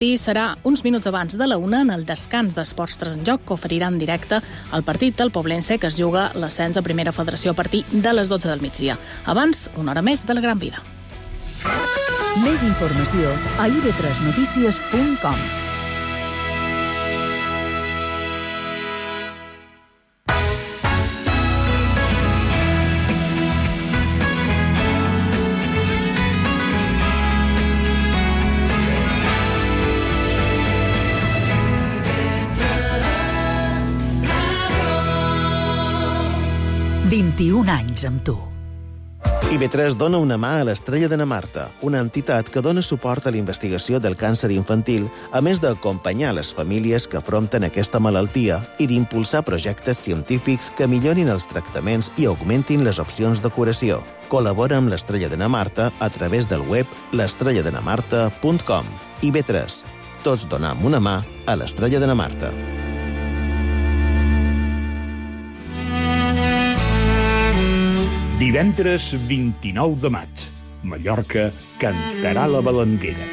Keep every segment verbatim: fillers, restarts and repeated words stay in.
I serà uns minuts abans de la una en el descans d'Esports tres en Joc, que oferirà en directe el partit del Poblense, que es juga l'ascens a Primera Federació a partir de les dotze del migdia. Abans, una hora més de la Gran Vida. Més informació a i be tres notícies punt com. vint-i-un anys amb tu. i be tres dona una mà a l'Estrella de na Marta, una entitat que dona suport a la investigació del càncer infantil, a més d'acompanyar les famílies que afronten aquesta malaltia i d'impulsar projectes científics que millorin els tractaments i augmentin les opcions de curació. Col·labora amb l'Estrella de na Marta a través del web l'estrella de na marta punt com. i be tres. Tots donam una mà a l'Estrella de na Marta. Divendres vint-i-nou de maig, Mallorca cantarà la Balanguera.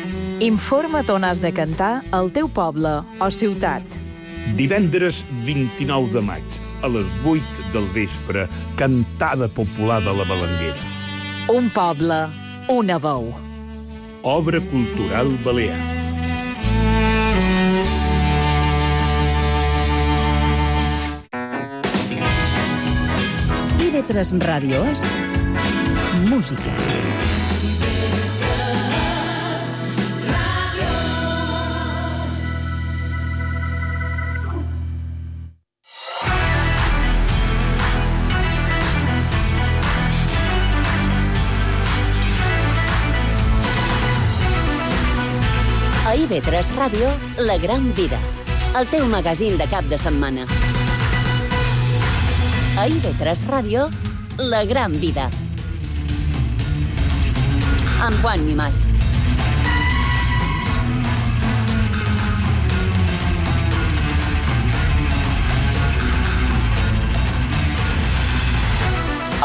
Informa't on has de cantar al teu poble o ciutat. Divendres vint-i-nou de maig, a les vuit del vespre, cantada popular de la Balanguera. Un poble, una veu. Obra cultural balear. i be tres Ràdio és música. A i be tres Ràdio, La Gran Vida, el teu magazín de cap de setmana. A i be tres Ràdio, La Gran Vida. Amb Juan Mimàs.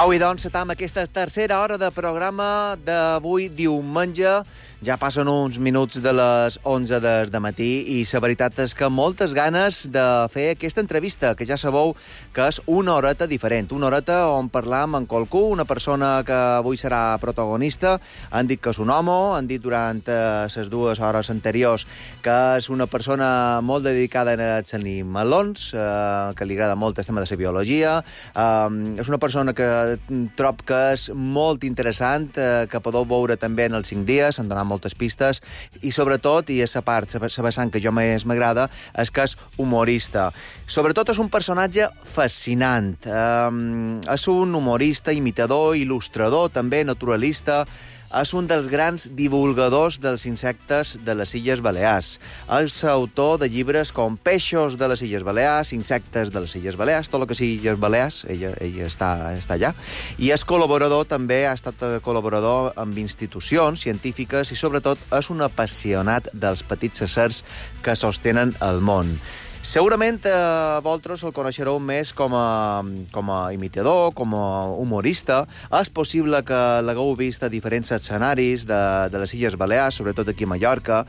Avui, doncs, estem en aquesta tercera hora de programa d'avui diumenge. Ja passen uns minuts de les onze de, de matí i la veritat és que moltes ganes de fer aquesta entrevista, que ja sabeu que és una horeta diferent, una horeta on parlam amb qualcú, una persona que avui serà protagonista. Han dit que és un home, han dit durant les eh, dues hores anteriors que és una persona molt dedicada als animalons, eh, que li agrada molt el tema de la biologia. Eh, és una persona que trob que és molt interessant, eh, que podeu veure també en els cinc dies, han donat moltes pistes, i sobretot, i és la part, la vessant que jo més m'agrada, és que és humorista. Sobretot és un personatge fascinant. Um, és un humorista, imitador, il·lustrador, també naturalista. És un dels grans divulgadors dels insectes de les Illes Balears. És autor de llibres com Peixos de les Illes Balears, Insectes de les Illes Balears, tot el que sigui Illes Balears, ella, ella està, està allà. I és col·laborador també, ha estat col·laborador amb institucions científiques i sobretot és un apassionat dels petits éssers que sostenen el món. Segurament eh, vosaltres el coneixereu més com a, com a imitador, com a humorista. És possible que l'hagueu vist a diferents escenaris de, de les Illes Balears, sobretot aquí a Mallorca.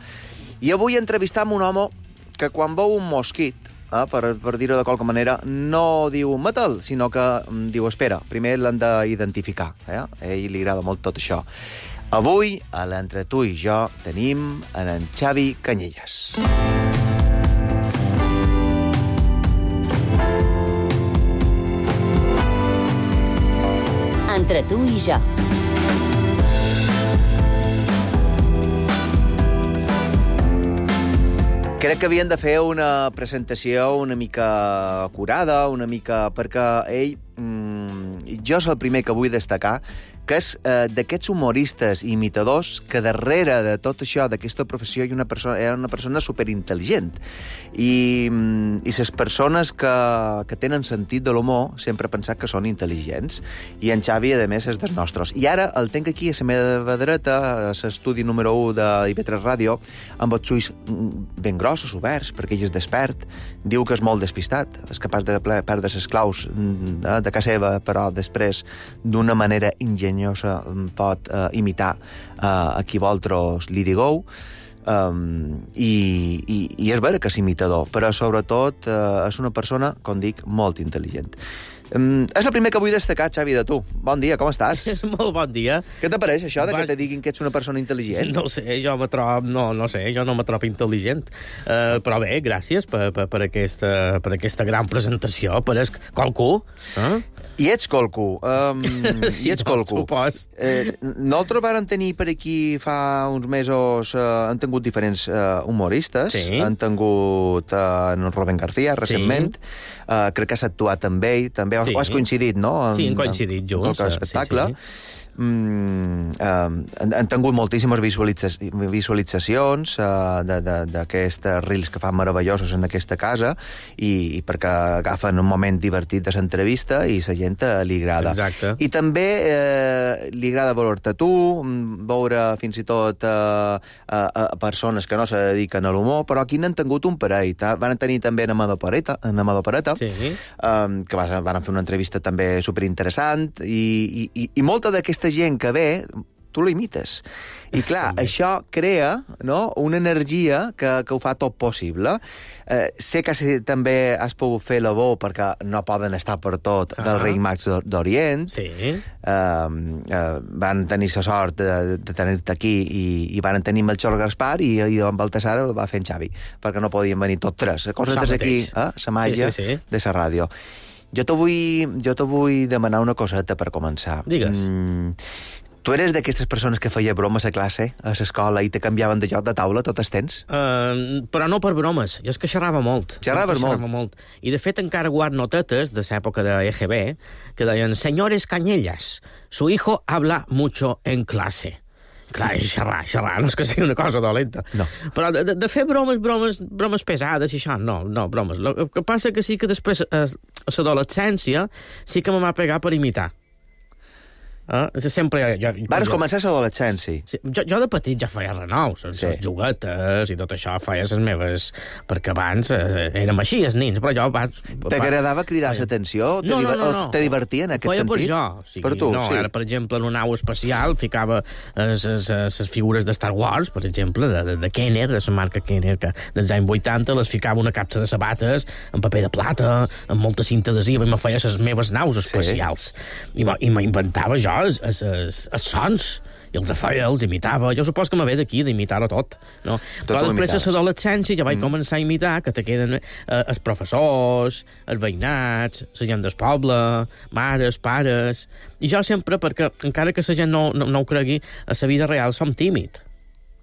I avui entrevistam un home que quan veu un mosquit, eh, per, per dir-ho de qualque manera, no diu mata'l, sinó que diu espera, primer l'han d'identificar. Eh? A ell li agrada molt tot això. Avui, a l'Entre tu i jo, tenim en, en Xavi Canyelles. Entre tu i jo. Crec que havien de fer una presentació una mica acurada, una mica... perquè ell... Mm, jo és el primer que vull destacar, que és eh, d'aquests humoristes i imitadors que darrere de tot això, d'aquesta professió, hi ha una persona, hi ha una persona superintel·ligent. I, i les persones que, que tenen sentit de l'humor sempre han pensat que són intel·ligents. I en Xavi, a més, és dels nostres. I ara el tenc aquí a la meva dreta, a l'estudi número u de i be tres Ràdio, amb els ulls ben grossos, oberts, perquè ell és despert. Diu que és molt despistat, és capaç de perdre les claus de, de casa seva, però després, d'una manera ingeniosa, pot eh, imitar eh, a qui vosaltres li digueu. Um, i, i, i és vera que és imitador, però sobretot uh, és una persona, com dic, molt intel·ligent. Um, és el primer que vull destacar, Xavi, de tu. Bon dia, com estàs? Molt bon dia. Què t'apareix, això, de Va... que te diguin que ets una persona intel·ligent? No sé, jo me trobo... No, no sé, jo no me trobo intel·ligent. Uh, però bé, gràcies per, per, per, aquesta, per aquesta gran presentació. Pareix qualcú. Eh? I ets qualcú. Um, sí, I ets no, qualcú. supos. Eh, nosaltres vàrem tenir per aquí fa uns mesos... Eh, han tingut diferents eh, humoristes. Sí. Han tingut eh, en Rubén García, recentment. Sí. Uh, crec que has actuat amb ell. També Sí. has coincidit, no? En, Sí, hem coincidit junts. En qualsevol espectacle. Sí, sí. Mm, uh, han, han tingut moltíssimes visualitza visualitzacions uh, d'aquests reels que fan meravellosos en aquesta casa i, i perquè agafen un moment divertit de l'entrevista i la gent uh, li agrada. Exacte. I també uh, li agrada veure-te tu, veure fins i tot uh, uh, uh, persones que no se dediquen a l'humor, però aquí n'han tingut un parell. Van tenir també en Amador Pareta, en Amador Pareta Sí. um, que vas, van fer una entrevista també superinteressant i, i, i molta d'aquesta gent que ve, tu la imites. I clar, També. això crea, no?, una energia que, que ho fa tot possible. Eh, sé que sí, també has pogut fer la bo perquè no poden estar per tot ah. del rei Mags d'Orient. Sí. Eh, eh, van tenir la sort de, de tenir-te aquí i, i van tenir Melchor Gaspar i, i en Baltasar el va fer en Xavi, perquè no podien venir tots tres. Coses Això aquí, mateix. eh, la màgia Sí, sí, sí. de la ràdio. Jo te vull, jo te vull demanar una coseta per començar. Digues. Mm, tu eres d'aquestes persones que feia bromes a classe, a l'escola, i te canviaven de lloc de taula tot el temps? Uh, però no per bromes. Jo és que xerrava molt. Xerraves molt? Xerrava molt. I, de fet, encara guard notetes de l'època de E G B que deien, senyores Cañellas, su hijo habla mucho en clase. Clar, és xerrar, xerrar, no és que sigui una cosa dolenta. No. Però de, de, de fer bromes, bromes, bromes pesades i això, no, no, bromes. El que passa que sí que després, a, a l'adolescència, sí que me va pegar per imitar. Eh? Sempre... Jo, jo, Vares jo, començar a l'adolescència. Sí, jo, jo de petit ja feia renous, les Sí. sí. juguetes i tot això, feia les meves... Perquè abans eh, érem així, els nins, però jo... Vas, T'agradava cridar l'atenció? No, no, no, no. O te divertia en aquest feia sentit? per jo. O sigui, per tu, no, sí. Ara, per exemple, en una nau espacial ficava les figures de Star Wars, per exemple, de, de, de Kenner, de la marca Kenner, que dels anys vuitanta les ficava una capsa de sabates en paper de plata, amb molta cinta adhesiva, i me feia les meves naus espacials. Sí. I m'inventava jo els, els, els sons, i els feia, els imitava. Jo supos que me ve d'aquí d'imitar-ho tot. No? Tot Però després imitaves. a l'adolescència ja vaig Mm. començar a imitar, que te queden eh, els professors, els veïnats, la gent del poble, mares, pares... I jo sempre, perquè encara que la gent no, no, no ho cregui, a la vida real som tímid.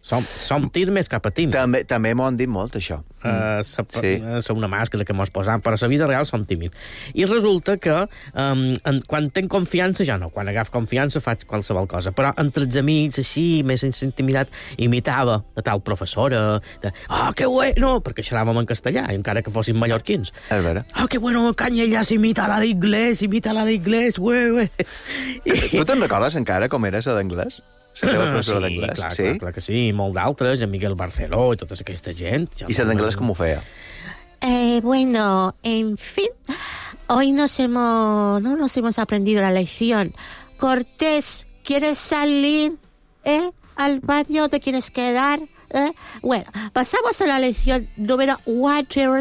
Som, som tir més cap a tímid. També, també m'ho han dit molt, això. Uh, sa, Sí. sí. una màscara que mos posam, però a la vida real som tímid. I resulta que um, en, quan tenc confiança, ja no, quan agaf confiança faig qualsevol cosa, però entre els amics, així, més sense intimitat, imitava de tal professora, de, ah, oh, que bueno, perquè xerràvem en castellà, encara que fossin mallorquins. És vera. Ah, oh, que bueno, Cañellas imita la d'inglès, imita la d'inglès, ué, ué. Tu te'n recordes encara com eres a d'anglès? La teva professora sí, d'anglès? clar, Sí? clar, clar que sí, i molt d'altres, en Miguel Barceló i tota aquesta gent. Ja I la d'anglès com ho feia? Eh, bueno, en fin, hoy nos hemos, no nos hemos aprendido la lección. Cortés, ¿quieres salir? ¿Eh? ¿Al baño te quieres quedar? ¿Eh? Bueno, pasamos a la lección número cuatro.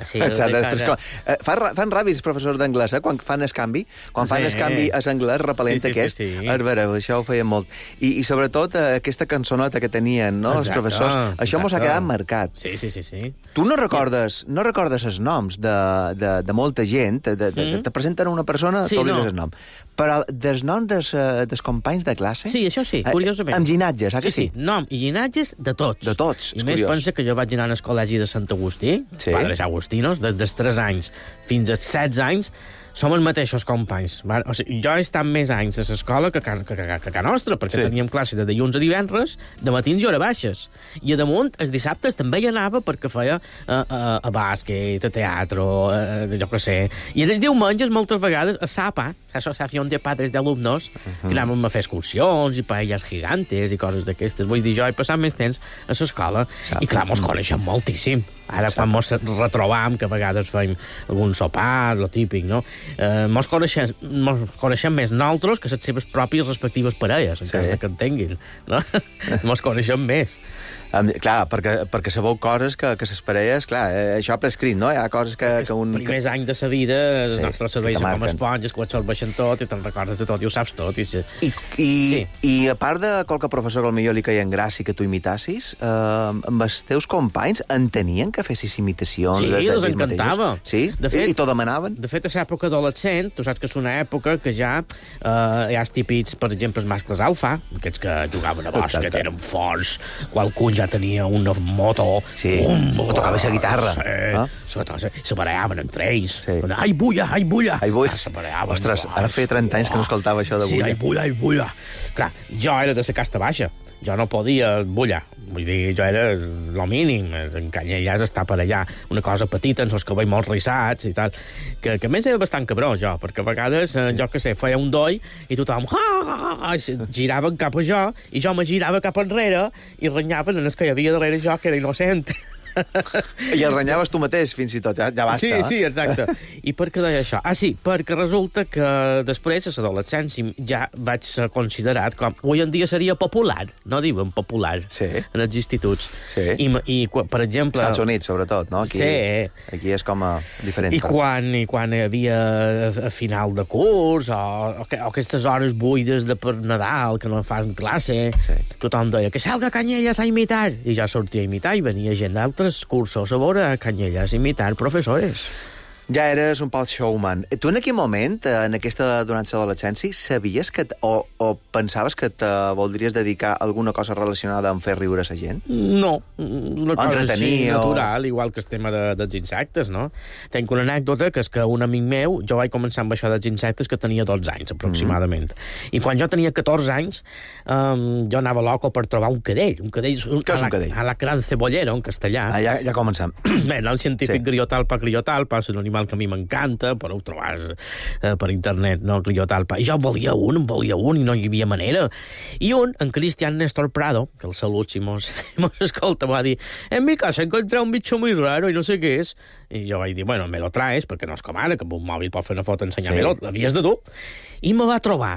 Sí, Exacte, de després, casa. com, eh, fan, ra- fan ràbia els professors d'anglès, eh? Quan fan el canvi, quan fan Sí. el canvi a l'anglès repel·lent Sí, sí, sí, aquest, sí. és vera, això ho feien molt. I, i sobretot eh, aquesta cançoneta que tenien, no?, els Exacte, professors, això mos ha exacte. quedat marcat. Sí, sí, sí, sí. Tu no recordes, no recordes els noms de, de, de molta gent, de, de, de, Mm. te presenten una persona, Sí, t'oblides no. el nom. Però dels noms dels, eh, dels companys de classe... Sí, això sí, eh, curiosament. Amb ginatges, ah que sí? sí? Nom i llinatges de tots. De tots, I és més curiós. pensa que jo vaig anar al col·legi de Sant Agustí, Sí. Padres Agustinos, des dels tres anys fins als setze anys, som els mateixos companys. Va? O sigui, jo he estat més anys a l'escola que, que, que, que, que a nostra, perquè Sí. sí. teníem classe de dilluns a divendres, de matins i hora baixes. I a damunt, els dissabtes també hi anava perquè feia a, a, a bàsquet, a teatre, a, jo què sé. I els diumenges, moltes vegades, a SAPA, l'Associació de Padres d'Alumnos, uh -huh. que anàvem a fer excursions i paelles gigantes i coses d'aquestes. Vull dir, jo he passat més temps a l'escola i, clar, mos coneixem moltíssim. Ara, quan mos retrobam, que a vegades fem algun sopar, lo típic, no? Eh, mos, coneixem, mos coneixem més nosaltres que les seves pròpies respectives parelles, en Sí. cas de que en tinguin, no? Mos coneixem més. Um, clar, perquè, perquè sabeu coses que, que ses parelles, clar, eh, això prescrit, no? Hi ha coses que, que un... Els primers anys de sa vida, els Sí, nostres cervells que te són com marquen. esponges, que ho absorbeixen tot i te'n recordes de tot i ho saps tot. I, se... I, i, Sí. I a part de qualque professor que potser li caia en gràcia que tu imitassis, eh, amb els teus companys entenien que fessis imitacions? Sí, de, de els ells encantava. mateixos? Sí? De fet- I, I t'ho demanaven? De fet, a l'època adolescent, tu saps que és una època que ja eh, hi ha els típics, per exemple, els mascles alfa, aquests que jugaven a bàsquet, Exacte. eren forts, qualcun ja tenia una moto, Sí, o tocava la guitarra, Sí, no? se, se barallaven entre ells. Sí. Ai, bulla, ai, bulla. Ai, bulla. Ah, se barallaven. Ostres, ara feia trenta anys que no escoltava això de Sí, bulla. ai, bulla, ai, bulla. Clar, jo era de la casta baixa. Jo no podia bullar. Vull dir, jo era lo mínim. En Canyelles està per allà una cosa petita, amb els cabells molt rissats i tal. Que, que a més era bastant cabró, jo, perquè a vegades, sí. jo que sé, feia un doi i tothom ha, ha, ha, ha, giraven cap a jo i jo me girava cap enrere i renyaven en el que hi havia darrere jo, que era innocent. I el renyaves tu mateix, fins i tot, ja, ja basta. Sí, eh? sí, exacte. I per què deia això? Ah, sí, perquè resulta que després, a l'adolescència, ja vaig ser considerat com... Avui en dia seria popular, no diuen popular, Sí. en els instituts. Sí. I, i per exemple... Estats Units, sobretot, no? Aquí, Sí. Aquí és com a diferent. I quan, I quan hi havia a, a final de curs, o, o, que- o aquestes hores buides de per Nadal, que no fan classe, Sí. tothom deia que salga Canyelles a imitar. I ja sortia a imitar i venia gent d'altres cursos a veure Canyelles imitar professores. Ja eres un poc showman. Tu en aquell moment, eh, en aquesta, durant l'adolescència, sabies que t- o, o pensaves que te voldries dedicar a alguna cosa relacionada amb fer riure a la gent? No, una cosa Entretenir així o- natural, igual que el tema de, dels insectes, no? Tenc una anècdota, que és que un amic meu, jo vaig començar amb això dels insectes que tenia dotze anys, aproximadament. Mm. I quan jo tenia catorze anys, um, jo anava loco per trobar un cadell. Un cadell, un, Què és a un la, cadell? A la gran cebollera, en castellà. Ah, ja, ja comencem. Bé, no, el científic Sí. sí. Griotalpa griotalpa és un animal que a mi m'encanta, però ho trobàs eh, per internet, no, griotalpa. I jo en volia un, en volia un, i no hi havia manera. I un, en Cristian Néstor Prado, que el salut si mos, mos escolta, va dir, en mi casa encontré un bicho muy raro i no sé què és. I jo vaig dir, bueno, me lo traes, perquè no és com ara, que amb un mòbil pot fer una foto, ensenyar-me-lo, Sí. l'havies de dur. I me va trobar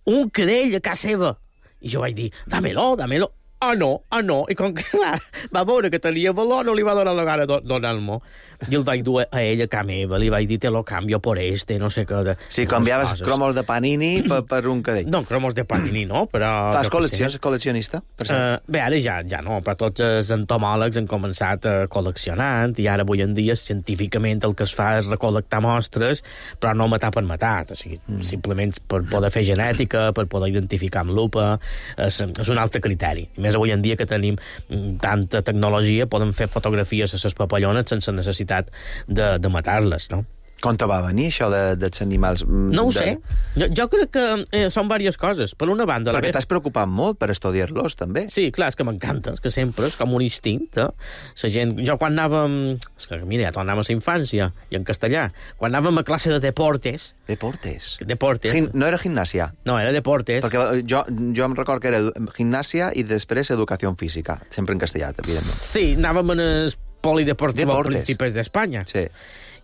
un cadell a casa seva. I jo vaig dir, dámelo, dámelo. Ah, no, ah, no. I com que va, va veure que tenia valor, no li va donar la gana de donar-m'ho. I el vaig dur a ell a casa meva, li vaig dir, te lo cambio por este, no sé què. De, Sí, canviaves cromos de Panini per, per un cadell. No, cromos de Panini, no, però... Fas jo què col·leccions, sé. col·leccionista? Per cert. Uh, bé, ara ja, ja no, però tots els entomòlegs han començat a col·leccionant i ara avui en dia científicament el que es fa és recol·lectar mostres, però no matar per matar, o sigui, mm. simplement per poder fer genètica, per poder identificar amb lupa, és, és un altre criteri. I més avui en dia que tenim mm, tanta tecnologia, podem fer fotografies a les papallones sense necessitat de, de matar-les, no? Com te va venir això de, dels animals? mm, No ho de... sé. Jo, jo crec que eh, són diverses coses. Per una banda... la Perquè ve- t'has preocupat molt per estudiar-los, també. Sí, clar, és que m'encanta, és que sempre és com un instint, eh? La gent... Jo quan anàvem... És que, mira, ja tornàvem a la infància, i en castellà. Quan anàvem a classe de deportes... Deportes. Deportes... Gim... No era gimnàsia. No, era deportes... Perquè jo, jo em record que era edu- gimnàsia i després educació física. Sempre en castellà, evidentment. Sí, anàvem en el polideportiu als Deportes. principis d'Espanya. Sí.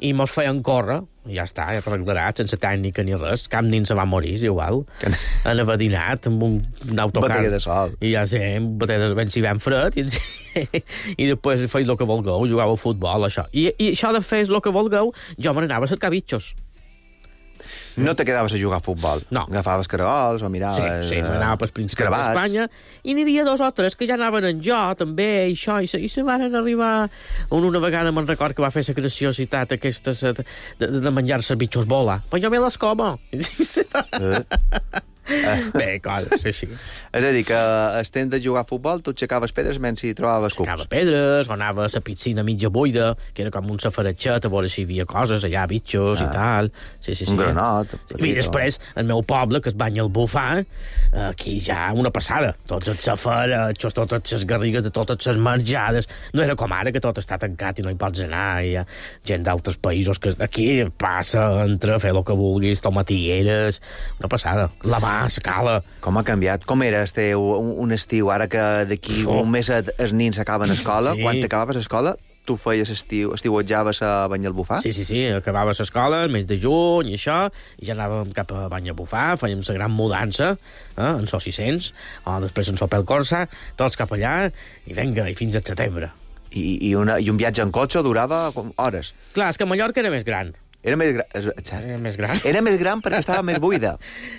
I mos feien córrer, i ja està, ja arreglarà, sense tècnica ni res. Cap nin se va morir, és igual. Que- Han abadinat amb un, un autocar. Batalla de sol. I ja sé, un batalla de ben si ben fred, i, i després feis el que vulgueu, jugàveu a futbol, això. I, I això de fer el que vulgueu, jo me n'anava a cercar bitxos. No te quedaves a jugar a futbol. No. Agafaves caragols o Sí, miraves... sí, eh, m'anava pels principis escarabats. d'Espanya, i n'hi havia dos o tres que ja anaven en jo, també, i això, i se, i se van arribar... Un, una vegada me'n record que va fer la graciositat aquesta se- de, de, de menjar-se bitxos bola. Però jo me les como. Eh. Bé, coses així. És a dir, que el temps de jugar a futbol tu aixecaves pedres mentre hi trobaves cucs. Ficava pedres, o anava a la piscina mitja buida, que era com un safaratxet, a veure si hi havia coses allà, bitxos Ah. i tal. Sí, sí, sí. Un granot. I petit, després, el meu poble, que es banya al bufar, aquí ja una passada. Tots els safaratxos, totes les garrigues de totes les marjades. No era com ara, que tot està tancat i no hi pots anar. Hi ha gent d'altres països que aquí passa, entra, fer el que vulguis, tomatigueres... Una passada. La mà, la cala... Com ha canviat? Com era el teu un, un estiu, ara que d'aquí Oh. un mes et- els nins acaben escola? Sí. Quan t'acabaves escola, tu feies estiu, estiuetjaves a Banyalbufar? Sí, sí, sí, acabava l'escola el mes de juny i això, i ja anàvem cap a Banyalbufar, fèiem la gran mudança, eh, en so sis cents, o després en so pel Corsa, tots cap allà, i venga, i fins al setembre. I, i, una, I un viatge en cotxe durava hores? Clar, és que Mallorca era més gran. Era més gran. Era més gran. Era més gran perquè estava més buida.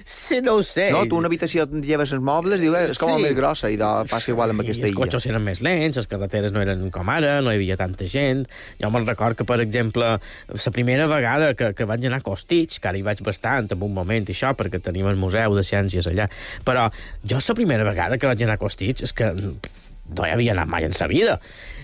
Sí, no ho sé. No, tu una habitació on lleves els mobles, diu, eh, és com sí. més grossa, i de, passa igual amb aquesta illa. I els cotxes eren més lents, les carreteres no eren com ara, no hi havia tanta gent. Jo me'n record que, per exemple, la primera vegada que, que vaig anar a Costitx, que ara hi vaig bastant en un moment i això, perquè tenim el Museu de Ciències allà, però jo la primera vegada que vaig anar a Costitx és que no hi havia anat mai en sa vida.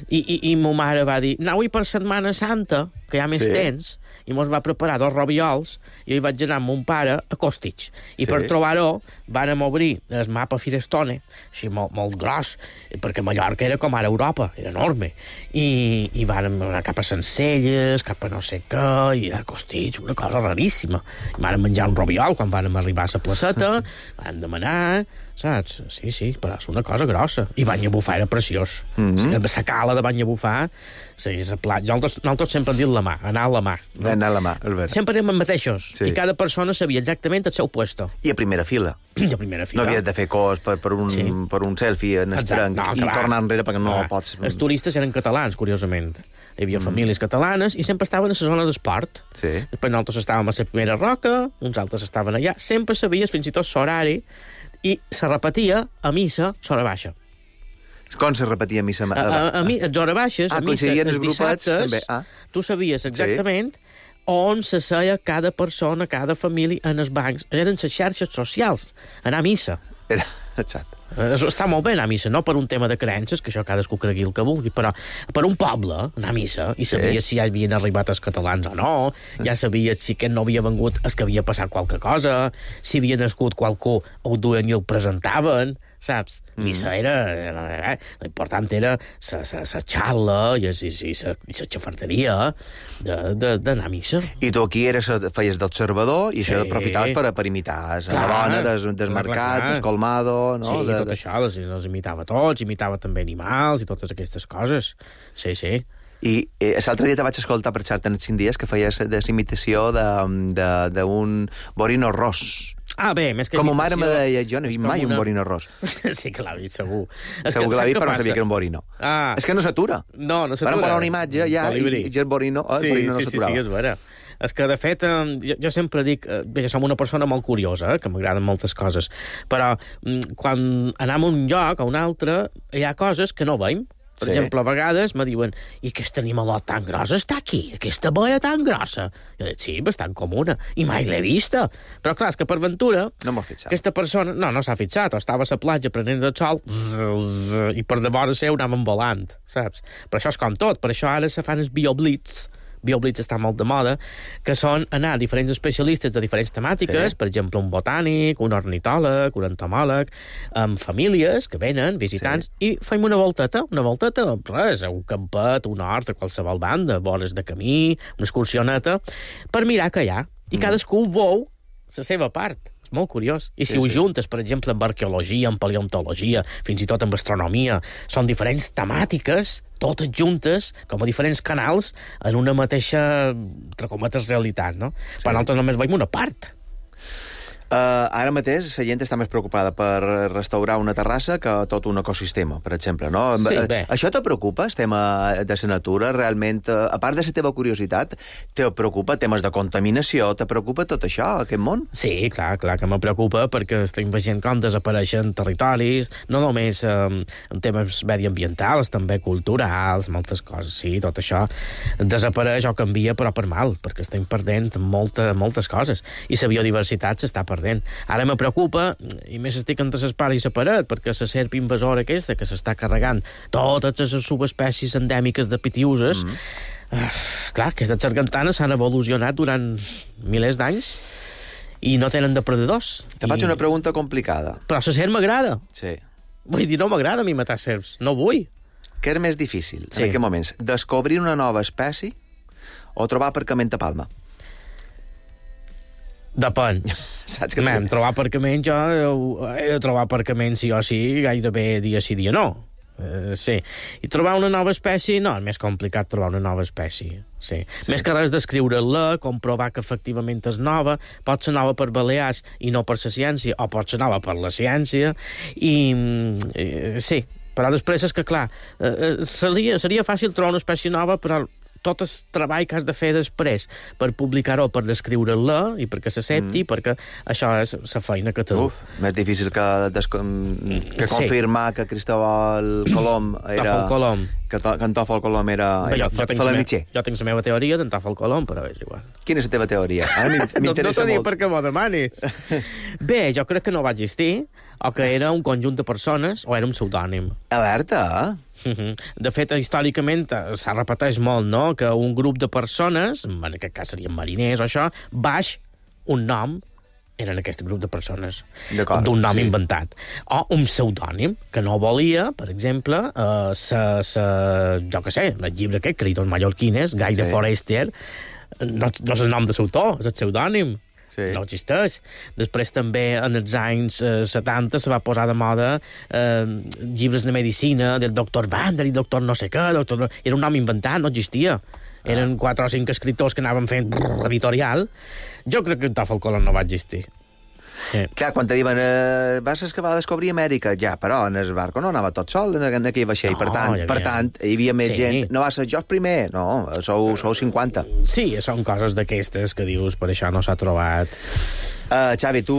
I, i, i ma mare va dir, anau-hi per Setmana Santa, que hi ha més sí. temps, i mos va preparar dos robiols, i jo hi vaig anar amb mon pare a Costitx. I sí. per trobar-ho, vàrem obrir el mapa Firestone, així molt, molt gros, perquè Mallorca era com ara Europa, era enorme. I, i vàrem anar cap a Sencelles, cap a no sé què, i a Costitx, una cosa raríssima. I vàrem menjar un robiol quan vàrem arribar a la placeta, sí. vàrem demanar, saps? Sí, sí, però és una cosa grossa. I Banyalbufar era preciós. Mm-hmm. La cala de Banyalbufar, sí, la pla... nosaltres, nosaltres sempre hem dit la mà, anar a la mà. No? Anar a la mà, és veritat. Sempre érem els mateixos, sí. i cada persona sabia exactament el seu puesto. I a primera fila. I a primera fila. No havies de fer cos per, per, un, sí. per un selfie en estranc no, i clar. tornar enrere perquè no ah, pots... Els turistes eren catalans, curiosament. Hi havia mm. famílies catalanes i sempre estaven a la zona d'esport. Sí. Després nosaltres estàvem a la primera roca, uns altres estaven allà. Sempre sabies, fins i tot l'horari, i se repetia a missa l'hora baixa. Com se repetia a missa? A, a, a, mi, a hores baixes, ah, a missa, els dissabtes, també. Ah. tu sabies exactament sí. on se seia cada persona, cada família en els bancs. Eren les xarxes socials, anar a missa. Era, exacte. Està molt bé anar a missa, no per un tema de creences, que això cadascú cregui el que vulgui, però per un poble, anar a missa, i sabies sí. si ja havien arribat els catalans o no, ja sabies si aquest no havia vengut és que havia passat qualque cosa, si havia nascut qualcú, ho duien i el presentaven, saps? Mm. Missa era... era eh? L'important era la xarla i la xafarderia d'anar a missa. I tu aquí eres, feies d'observador i sí. això aprofitaves per, per imitar clar, la dona des, des mercat, des colmado... No? Sí, de, tot això, els, els imitava tots, imitava també animals i totes aquestes coses. Sí, sí. I eh, l'altre dia te vaig escoltar per xarta en els cinc dies que feies de imitació d'un borino ros. Ah, bé, més que com imitació... Com mare me deia, jo no he vist mai una... un borino ros. Sí que l'ha vist, segur. Segur que, que l'ha vist, però no sabia que era un borino. Ah. És que no s'atura. No, no s'atura. Van posar una imatge ja i, i el borino, oh, el sí, borino no sí, s'aturava. Sí, sí, és vera. És que, de fet, jo, jo sempre dic... Bé, jo som una persona molt curiosa, eh, que m'agraden moltes coses, però quan anem a un lloc, a un altre, hi ha coses que no veiem. Per sí. exemple, a vegades me diuen i aquest animalot tan gros està aquí, aquesta boia tan grossa. Jo dic, sí, bastant comuna, i mai l'he vista. Però clar, és que per ventura... No m'ho fixat. Aquesta persona, no, no s'ha fixat, o estava a la platja prenent el sol i per de vora seu anàvem volant, saps? Però això és com tot, per això ara se fan els bioblitz, bioblitz està molt de moda, que són anar a diferents especialistes de diferents temàtiques, sí. per exemple, un botànic, un ornitòleg, un entomòleg, amb famílies que venen, visitants, sí. i fem una volteta, una volteta, res, un campet, un hort, a qualsevol banda, vores de camí, una excursioneta, per mirar què hi ha. I mm. cadascú veu la seva part. És molt curiós. I si sí, ho sí. juntes, per exemple, amb arqueologia, amb paleontologia, fins i tot amb astronomia, són diferents temàtiques, totes juntes, com a diferents canals, en una mateixa, entre cometes, realitat, no? Sí. Però nosaltres només veiem una part. Uh, ara mateix la gent està més preocupada per restaurar una terrassa que tot un ecosistema, per exemple, no? Sí, bé. Això te preocupa, el tema de la natura? Realment, a part de la teva curiositat, te preocupa temes de contaminació? Te preocupa tot això, aquest món? Sí, clar, clar que me preocupa, perquè estem veient com desapareixen territoris, no només um, en temes mediambientals, també culturals, moltes coses, sí, tot això desapareix o canvia, però per mal, perquè estem perdent molta, moltes coses, i la biodiversitat s'està perdent. Ara me preocupa, i més estic entre l'espara i la paret, perquè la serp invasora aquesta, que s'està carregant totes les subespècies endèmiques de pitiuses, mm. uh, clar, aquestes sargantanes s'han evolucionat durant milers d'anys i no tenen depredadors. Te faig I... una pregunta complicada. Però la serp m'agrada. Sí. Vull dir, no m'agrada a mi matar serps, no vull. Què és més difícil, sí. en aquests moments? Descobrir una nova espècie o trobar aparcament a Palma? Depèn. Saps que Man, trobar aparcament, jo he de trobar aparcament sí o sí, gairebé dia sí, dia no. Uh, sí. I trobar una nova espècie, no, és més complicat trobar una nova espècie. Sí. Sí. Més que res descriure-la, comprovar que efectivament és nova, pot ser nova per Balears i no per la ciència, o pot ser nova per la ciència, i eh, sí, però després és que, clar, eh, seria, seria fàcil trobar una espècie nova, però tot el treball que has de fer després per publicar-ho, per descriure-la i perquè s'accepti, mm. perquè això és la feina que té. Uf, més difícil que, que confirmar sí. que Cristóbal Colom era... Colom. Que, to, que en Tòfol Colom era... Bé, jo, jo, tinc me, jo tinc la meva teoria d'en Tòfol Colom, però és igual. Quina és la teva teoria? Ara m'interessa no, no t'ho dic molt. perquè m'ho demanis. Bé, jo crec que no va existir, o que era un conjunt de persones, o era un pseudònim. Alerta, eh? De fet, històricament s'ha repeteix molt, no?, que un grup de persones, en aquest cas serien mariners o això, baix un nom, eren aquest grup de persones, d'un nom sí. inventat. O un pseudònim, que no volia, per exemple, eh, sa, sa, jo què sé, el llibre aquest, Cridos Mallorquines, Guy sí. de Forestier, no, no és el nom de l'autor, és el pseudònim. Sí. No existeix. Després també, en els anys eh, setanta, se va posar de moda eh, llibres de medicina del doctor Vander i doctor no sé què. Doctor... Era un nom inventat, no existia. Eren quatre o cinc escriptors que anaven fent brrr, editorial. Jo crec que en Tòfol Colom no va existir. Sí. Clar, quan te diuen eh, vas que va descobrir Amèrica, ja, però en el barco no anava tot sol en, en aquell vaixell, no, per tant, havia... per tant hi havia més sí. gent, no va ser jo el primer, no, sou, sou cinquanta. Sí, són coses d'aquestes que dius, per això no s'ha trobat. Uh, Xavi, tu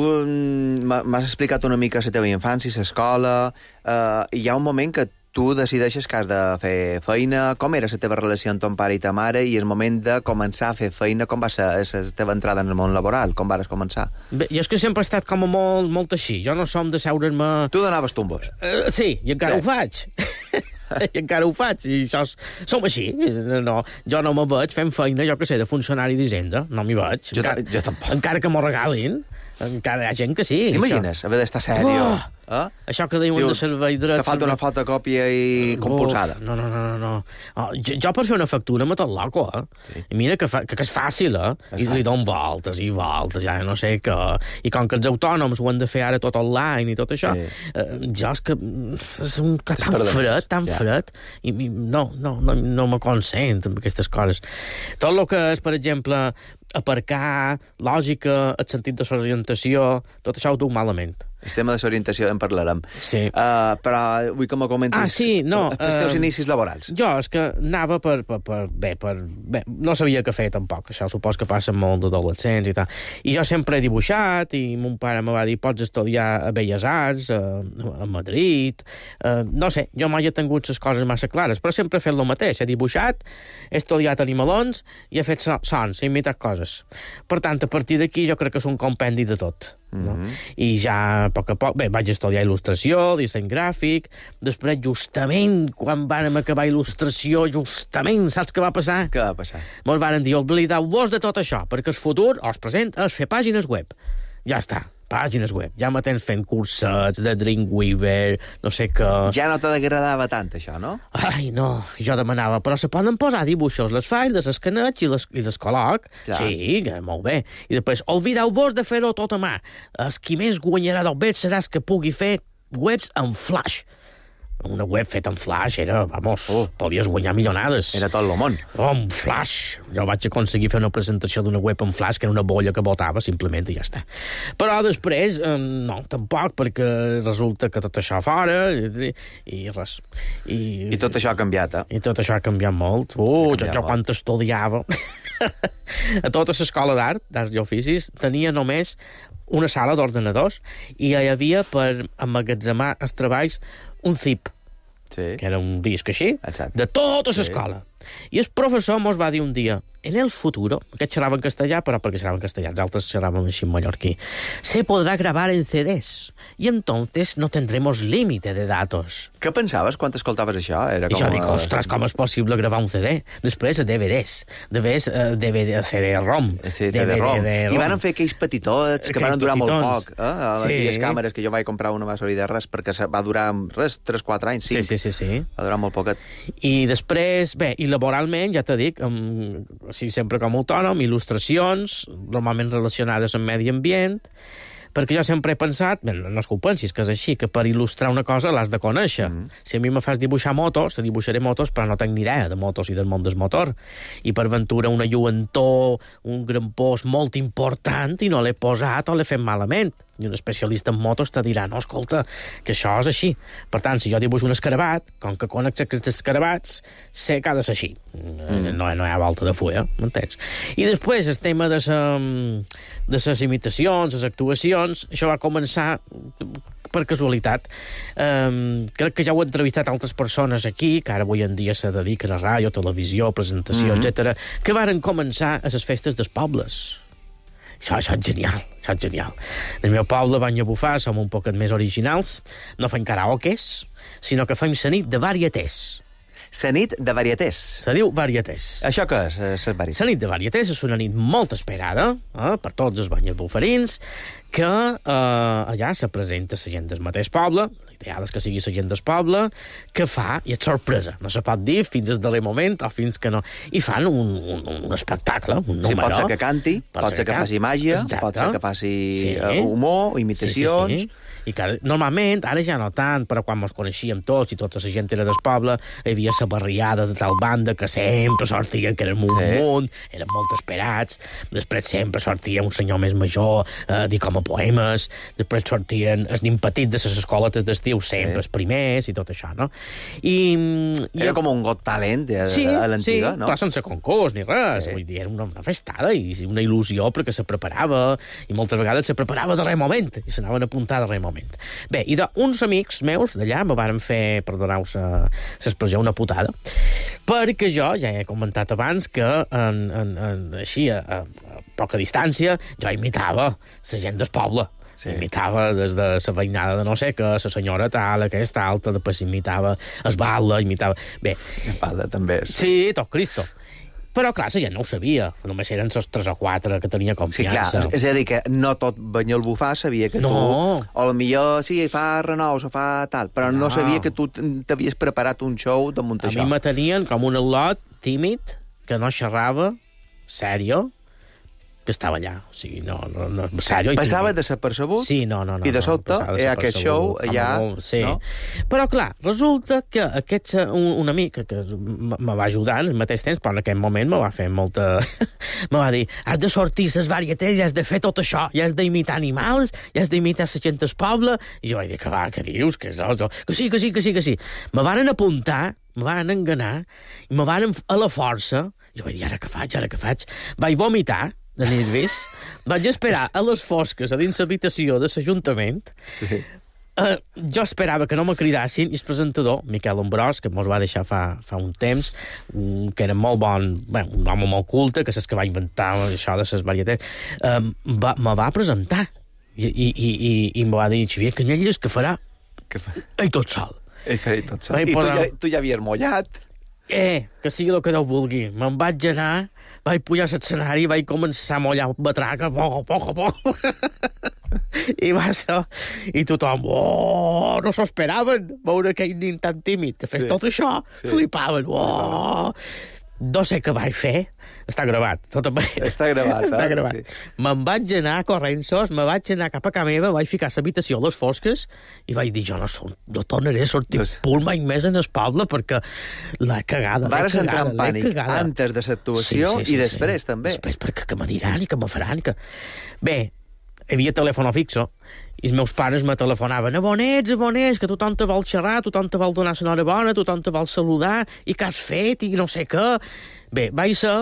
m'has explicat una mica la teva infància, l'escola, uh, hi ha un moment que tu decideixes que has de fer feina. Com era la teva relació amb ton pare i ta mare i el moment de començar a fer feina? Com va ser la teva entrada en el món laboral? Com vas començar? Bé, jo és que sempre he estat com a molt, molt així. Jo no som de seure's-me... Tu donaves tumbos. Uh, sí, i encara sí. ho faig. I encara ho faig, i això és... som així. No, jo no me veig fent feina, jo que sé, de funcionari d'Hisenda. No m'hi veig. Jo, encara, jo tampoc. Encara que m'ho regalin. Encara hi ha gent que sí. T'imagines haver d'estar sèrio? Oh! Eh? Això que diuen Diu, de servei dret... Te falta una fotocòpia i compulsada. No, no, no, no. no. Oh, jo, jo per fer una factura m'he tot loco, eh? Sí. I mira que, fa, que, que és fàcil, eh? És I li dono voltes i voltes, ja no sé què. I com que els autònoms ho han de fer ara tot online i tot això, sí. eh, jo és que és un que tan Perdons. fred, tan ja. fred, i no, no, no, no me consent amb aquestes coses. Tot el que és, per exemple, aparcar, lògica, el sentit de l'orientació, tot això ho duc malament. El tema de l'orientació en parlarem. Sí. Uh, però vull que me comentis ah, sí, no, els teus uh, inicis laborals. Jo és que anava per... per, per, bé, per bé, no sabia què fer tampoc. Això supos que passa molt d'adolescents i tal. I jo sempre he dibuixat i mon pare me va dir pots estudiar a Belles Arts, a, a Madrid... Uh, no sé, jo mai he tingut les coses massa clares, però sempre he fet el mateix. He dibuixat, he estudiat animalons i he fet sons, he imitat coses. Per tant, a partir d'aquí jo crec que és un compendi de tot. No? Mm-hmm. I ja a poc a poc bé, vaig estudiar il·lustració, disseny gràfic, després justament quan vàrem acabar il·lustració, justament saps què va passar? Què va passar? Mos varen dir, oblideu-vos de tot això, perquè el futur, o el present, és fer pàgines web. Ja està, pàgines web. Ja me tens fent cursets de Dreamweaver, no sé què... Ja no t'agradava tant, això, no? Ai, no, jo demanava, però se poden posar dibuixos, les faig, les escaneig i les, i les col·loc. Clar. Sí, molt bé. I després, olvideu-vos de fer-ho tot a mà. El qui més guanyarà del bet serà el que pugui fer webs en flash. Una web feta en flash era, vamos, oh. podies guanyar milionades. Era tot el món. Oh, en flash. Jo vaig aconseguir fer una presentació d'una web en flash que era una bolla que botava, simplement, i ja està. Però després, eh, no, tampoc, perquè resulta que tot això fora, i, i res. I, I tot això ha canviat, eh? I tot això ha canviat molt. Uh, jo, jo quan estudiava a tota l'escola d'art, d'arts i oficis, tenia només una sala d'ordenadors i hi havia per emmagatzemar els treballs un zip, sí. que era un disc així, exacte. De tota l'escola. Sí. I el professor mos va dir un dia, en el futuro, aquest xerrava en castellà, però perquè xerrava en castellà, els altres xerraven així en mallorquí, se podrà gravar en C Ds, y entonces no tendremos límite de datos. Què pensaves quan escoltaves això? Era com I jo dic, ostres, com és possible gravar un C D? Després, D V Ds, després, uh, D V D, C D-ROM. C D-ROM. I van fer aquells petitots que van durar molt poc, eh? A les sí. càmeres, que jo vaig comprar una va servir de res, perquè va durar, res, tres quatre anys, cinc. Sí, sí, sí, sí. Va durar molt poquet. I després, bé, i laboralment, ja t'he dit, amb, sí, sempre com a autònom, il·lustracions, normalment relacionades amb medi ambient, perquè jo sempre he pensat, bé, no és que ho pensis, que és així, que per il·lustrar una cosa l'has de conèixer. Mm. Si a mi me fas dibuixar motos, te dibuixaré motos, però no tinc ni idea de motos i del món del motor. I per ventura una lluentor, un grampós molt important, i no l'he posat o l'he fet malament. I un especialista en motos te dirà, no, escolta, que això és així. Per tant, si jo dibuixo un escarabat, com que conec aquests escarabats, sé que ha de ser així. Mm. No, no hi ha volta de fulla, m'entens? I després, el tema de les imitacions, les actuacions, això va començar per casualitat. Um, crec que ja ho he entrevistat altres persones aquí, que ara avui en dia se dediquen a ràdio, televisió, presentació, mm-hmm. etcètera, que varen començar a les festes dels pobles. Això, això és genial, això és genial. El meu poble, Banya Bufar, som un poquet més originals, no fem karaokes, sinó que fem la nit de varietés. La nit de varietés. Se diu varietés. Això què és, la varietés? La nit de varietés és una nit molt esperada eh, per tots els banyes bufarins, que eh, allà se presenta la gent del mateix poble, l'ideal és que sigui la gent del poble, que fa, i és sorpresa, no se pot dir fins al darrer moment o fins que no, i fan un, un, un espectacle, un número. Sí, pot ser que canti, pot, pot ser que, que faci màgia, exacte. Pot ser que faci sí. humor, imitacions... Sí, sí, sí. I que normalment, ara ja no tant, però quan ens coneixíem tots i tota la gent era del poble, hi havia la barriada de tal banda que sempre sortien, que eren un sí. munt, eren molt esperats, després sempre sortia un senyor més major a eh, dir com a poemes, després sortien els nins petits de les escoletes d'estiu, sempre sí. els primers i tot això, no? I, era i... com un Got Talent a, sí, a l'antiga, sí, no? Però sense concurs ni res, sí. Vull dir, era una, una festada i una il·lusió perquè se preparava, i moltes vegades se preparava de res moment, i s'anaven a apuntar de res moment. Bé, i d'uns amics meus d'allà me varen fer, perdoneu l'expressió, una putada, perquè jo ja he comentat abans que en, en, en, així, a, a poca distància, jo imitava la gent del poble. Sí. Imitava des de la veïnada de no sé què, la senyora tal, aquesta alta, després imitava es Balla, imitava... Bé. Es Balla també és. Sí, tot Cristo. Però, clar, la gent no ho sabia. Només eren els tres o quatre que tenia confiança. Sí, clar, és a dir, que no tot Banyol Bufar sabia que no. tu... O potser sí, fa renous o fa tal, però no, no sabia que tu t'havies preparat un show damunt això. A mi me tenien com un al·lot tímid, que no xerrava, sèrio, que estava allà. O sigui, no, no, no, sèrio. Passava desapercebut? Sí, no, no, no. I de sobte, no, hi ha aquest show allà... Sí. No? Però, clar, resulta que aquest, un, un amic que me va ajudar en el mateix temps, però en aquell moment me va fer molta... me va dir, has de sortir les varietés i has de fer tot això, i has d'imitar animals, i has d'imitar la gent del poble... I jo vaig dir, que va, què dius? Que, és, que sí, que sí, que sí, que sí. Me varen apuntar, me varen enganar, i me varen a la força... Jo vaig dir, ara què faig, ara què faig? Vaig vomitar, de nervis, vaig esperar a les fosques a dins l'habitació de l'Ajuntament. Sí. Uh, jo esperava que no me cridassin, i el presentador, Miquel Ambrós, que mos va deixar fa, fa un temps, um, que era molt bon, bé, un home molt culte, que és que va inventar això de les varietats, um, va, me va presentar. I, i, i, i, i me va dir, Xavier Canyelles, que farà? Què fa? Ell tot sol. Ell farà tot sol. Vaig I posar... tu, ja, tu ja havies mollat. Eh, que sigui el que Déu vulgui. Me'n vaig anar, vaig pujar a l'escenari i vaig començar a mollar batraca, poc a poc a poc. I va ser... I tothom, oh, no s'ho esperaven, veure aquell nin tan tímid que fes sí. tot això. Sí. Flipaven, oh... No sé què vaig fer. Està gravat. Tot Està gravat. Està eh? gravat. Sí. Me'n vaig anar corrents-sos, me vaig anar cap a casa meva, vaig ficar l'habitació a les fosques i vaig dir, jo no, som, no tornaré a sortir pues... punt mai més en el poble perquè l'he cagada, l'he Vares cagada, entrar en pànic antes de l'actuació sí, sí, sí, i després sí. també. Després perquè que me diran i que me faran. Que... Bé, hi havia telèfon fixo i els meus pares me telefonaven a on ets, a on ets, que tothom te vol xerrar, tothom te vol donar l'enhorabona, tothom te vol saludar, i què has fet, i no sé què. Bé, vaig ser...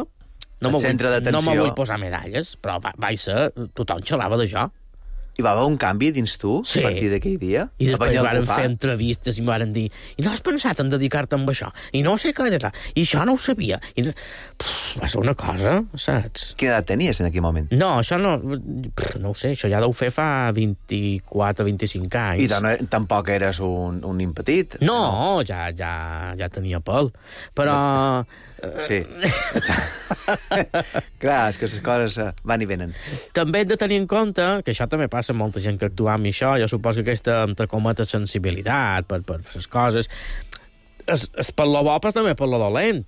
No me vull, no me vull posar medalles, però va, vaig ser... Tothom xerrava d'això. I va haver un canvi dins tu sí. a partir d'aquell dia? I després varen fer entrevistes i em varen dir i no has pensat en dedicar-te amb això? I no sé què, i això no ho sabia. I no... Pff, va ser una cosa, saps? Quina edat tenies en aquell moment? No, això no... Pff, no ho sé, això ja deu fer fa vint-i-quatre, vint-i-cinc anys. I no, tampoc eres un, un nin petit? No, no, ja, ja, ja tenia pèl. Però... Sí. Clar, és que les coses van i venen. També hem de tenir en compte, que això també passa amb molta gent que actua amb això, jo suposo que aquesta, entre cometes, sensibilitat per, per les coses, és, és per lo bo, però també per lo dolent.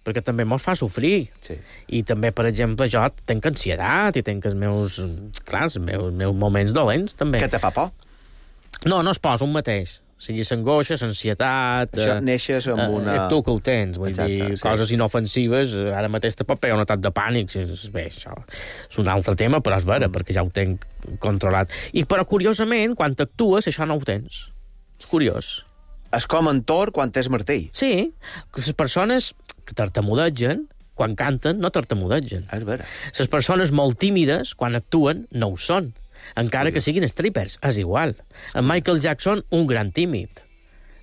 perquè també mos fa sofrir. Sí. I també, per exemple, jo tenc ansietat i tenc els meus, clar, els meus, meus moments dolents, també. Què te fa por? No, no es posa un mateix. O sigui, s'angoixa, l'ansietat... Això eh, neixes amb eh, una... Tu que ho tens, vull Exacte, dir, sí. coses inofensives, ara mateix te pot pegar un atac de pànic. Bé, això és un altre tema, però és vera, mm. perquè ja ho tenc controlat. I, però, curiosament, quan actues, això no ho tens. És curiós. És com en Thor quan és martell. Sí, que les persones que tartamudegen, quan canten, no tartamudegen. És vera. Les persones molt tímides, quan actuen, no ho són. Encara que siguin strippers, és igual. En Michael Jackson, un gran tímid.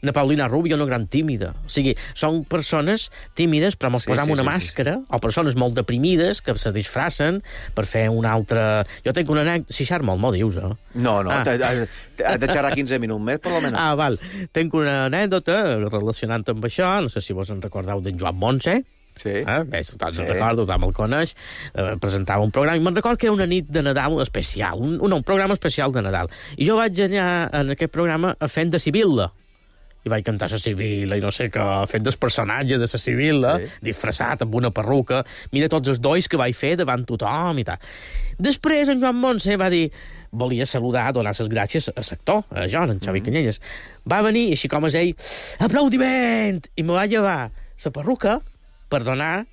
Na Paulina Rubio, una gran tímida. O sigui, són persones tímides, però mos Sí, posam sí, una sí, màscara, sí, sí. O persones molt deprimides que se disfracen per fer una altra... Jo tenc una anècdota... Si xar molt, m'ho dius, eh? No, no, Ah. has de xerrar quinze minuts més, per almenys. Ah, val. Tenc una anècdota relacionant amb això, no sé si vos en recordeu d'en Joan Montse. Sí. Eh? Bé, tothom Sí. sí. recordo, tothom el coneix, eh, presentava un programa, i me'n recordo que era una nit de Nadal especial, un, un, un programa especial de Nadal. I jo vaig anar en aquest programa fent de Sibil·la. I vaig cantar la Sibil·la i no sé què, fent del personatge de la Sibil·la, Sí. disfressat amb una perruca. Mira tots els dolls que vaig fer davant tothom i tal. Després en Joan Montse va dir... Volia saludar, donar les gràcies a l'actor, a Joan, en Xavi mm. Canyelles. Va venir, així com és ell, aplaudiment! I me va llevar la perruca per donar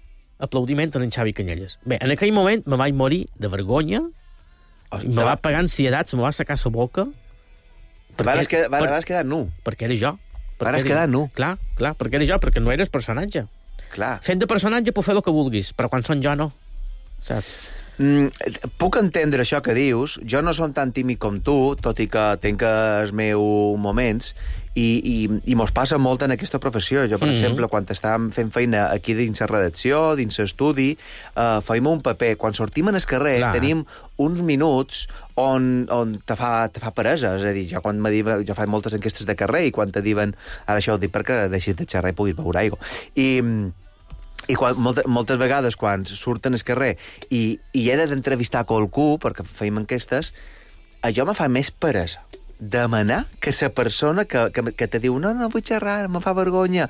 aplaudiment a en Xavi Canyelles. Bé, en aquell moment me vaig morir de vergonya, Oh, i me va pegar ansietat, se me va secar la boca... Vas quedar, per, vas quedar nu. Perquè era jo. Vas quedar nu. Clar, clar, perquè era jo, perquè no eres personatge. Clar. Fent de personatge puc fer el que vulguis, però quan són jo no. Saps? Mm, puc entendre això que dius. Jo no som tan tímid com tu, tot i que tenc els meus moments, i, i, i mos passa molt en aquesta professió. Jo, per mm-hmm. exemple, quan estàvem fent feina aquí dins la redacció, dins l'estudi, eh, feim un paper. Quan sortim en el carrer, Clar. tenim uns minuts on, on te, fa, te fa peresa. És a dir, jo, quan diuen, jo faig moltes enquestes de carrer, i quan te diuen, ara això ho dic perquè deixis de xerrar i puguis beure aigua. I... I quan, moltes, moltes vegades, quan surten al carrer i, i he d'entrevistar qualcú, perquè feim enquestes, allò me fa més peresa demanar que la persona que, que, que te diu no, no vull xerrar, me fa vergonya.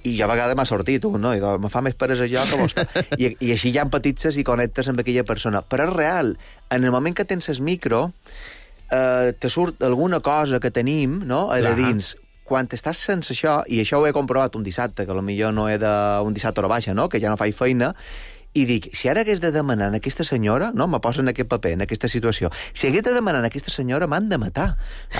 I jo a vegades m'ha sortit un, no? I me fa més peresa jo que vostè. I, I així ja empatitzes i connectes amb aquella persona. Però és real, en el moment que tens el micro, eh, te surt alguna cosa que tenim, no?, a de dins. Quan estàs sense això, i això ho he comprovat un dissabte, que potser no he de... un dissabte hora baixa, no?, que ja no faig feina, i dic, si ara hagués de demanar a aquesta senyora, no, me posa en aquest paper, en aquesta situació, si hagués de demanar a aquesta senyora, m'han de matar.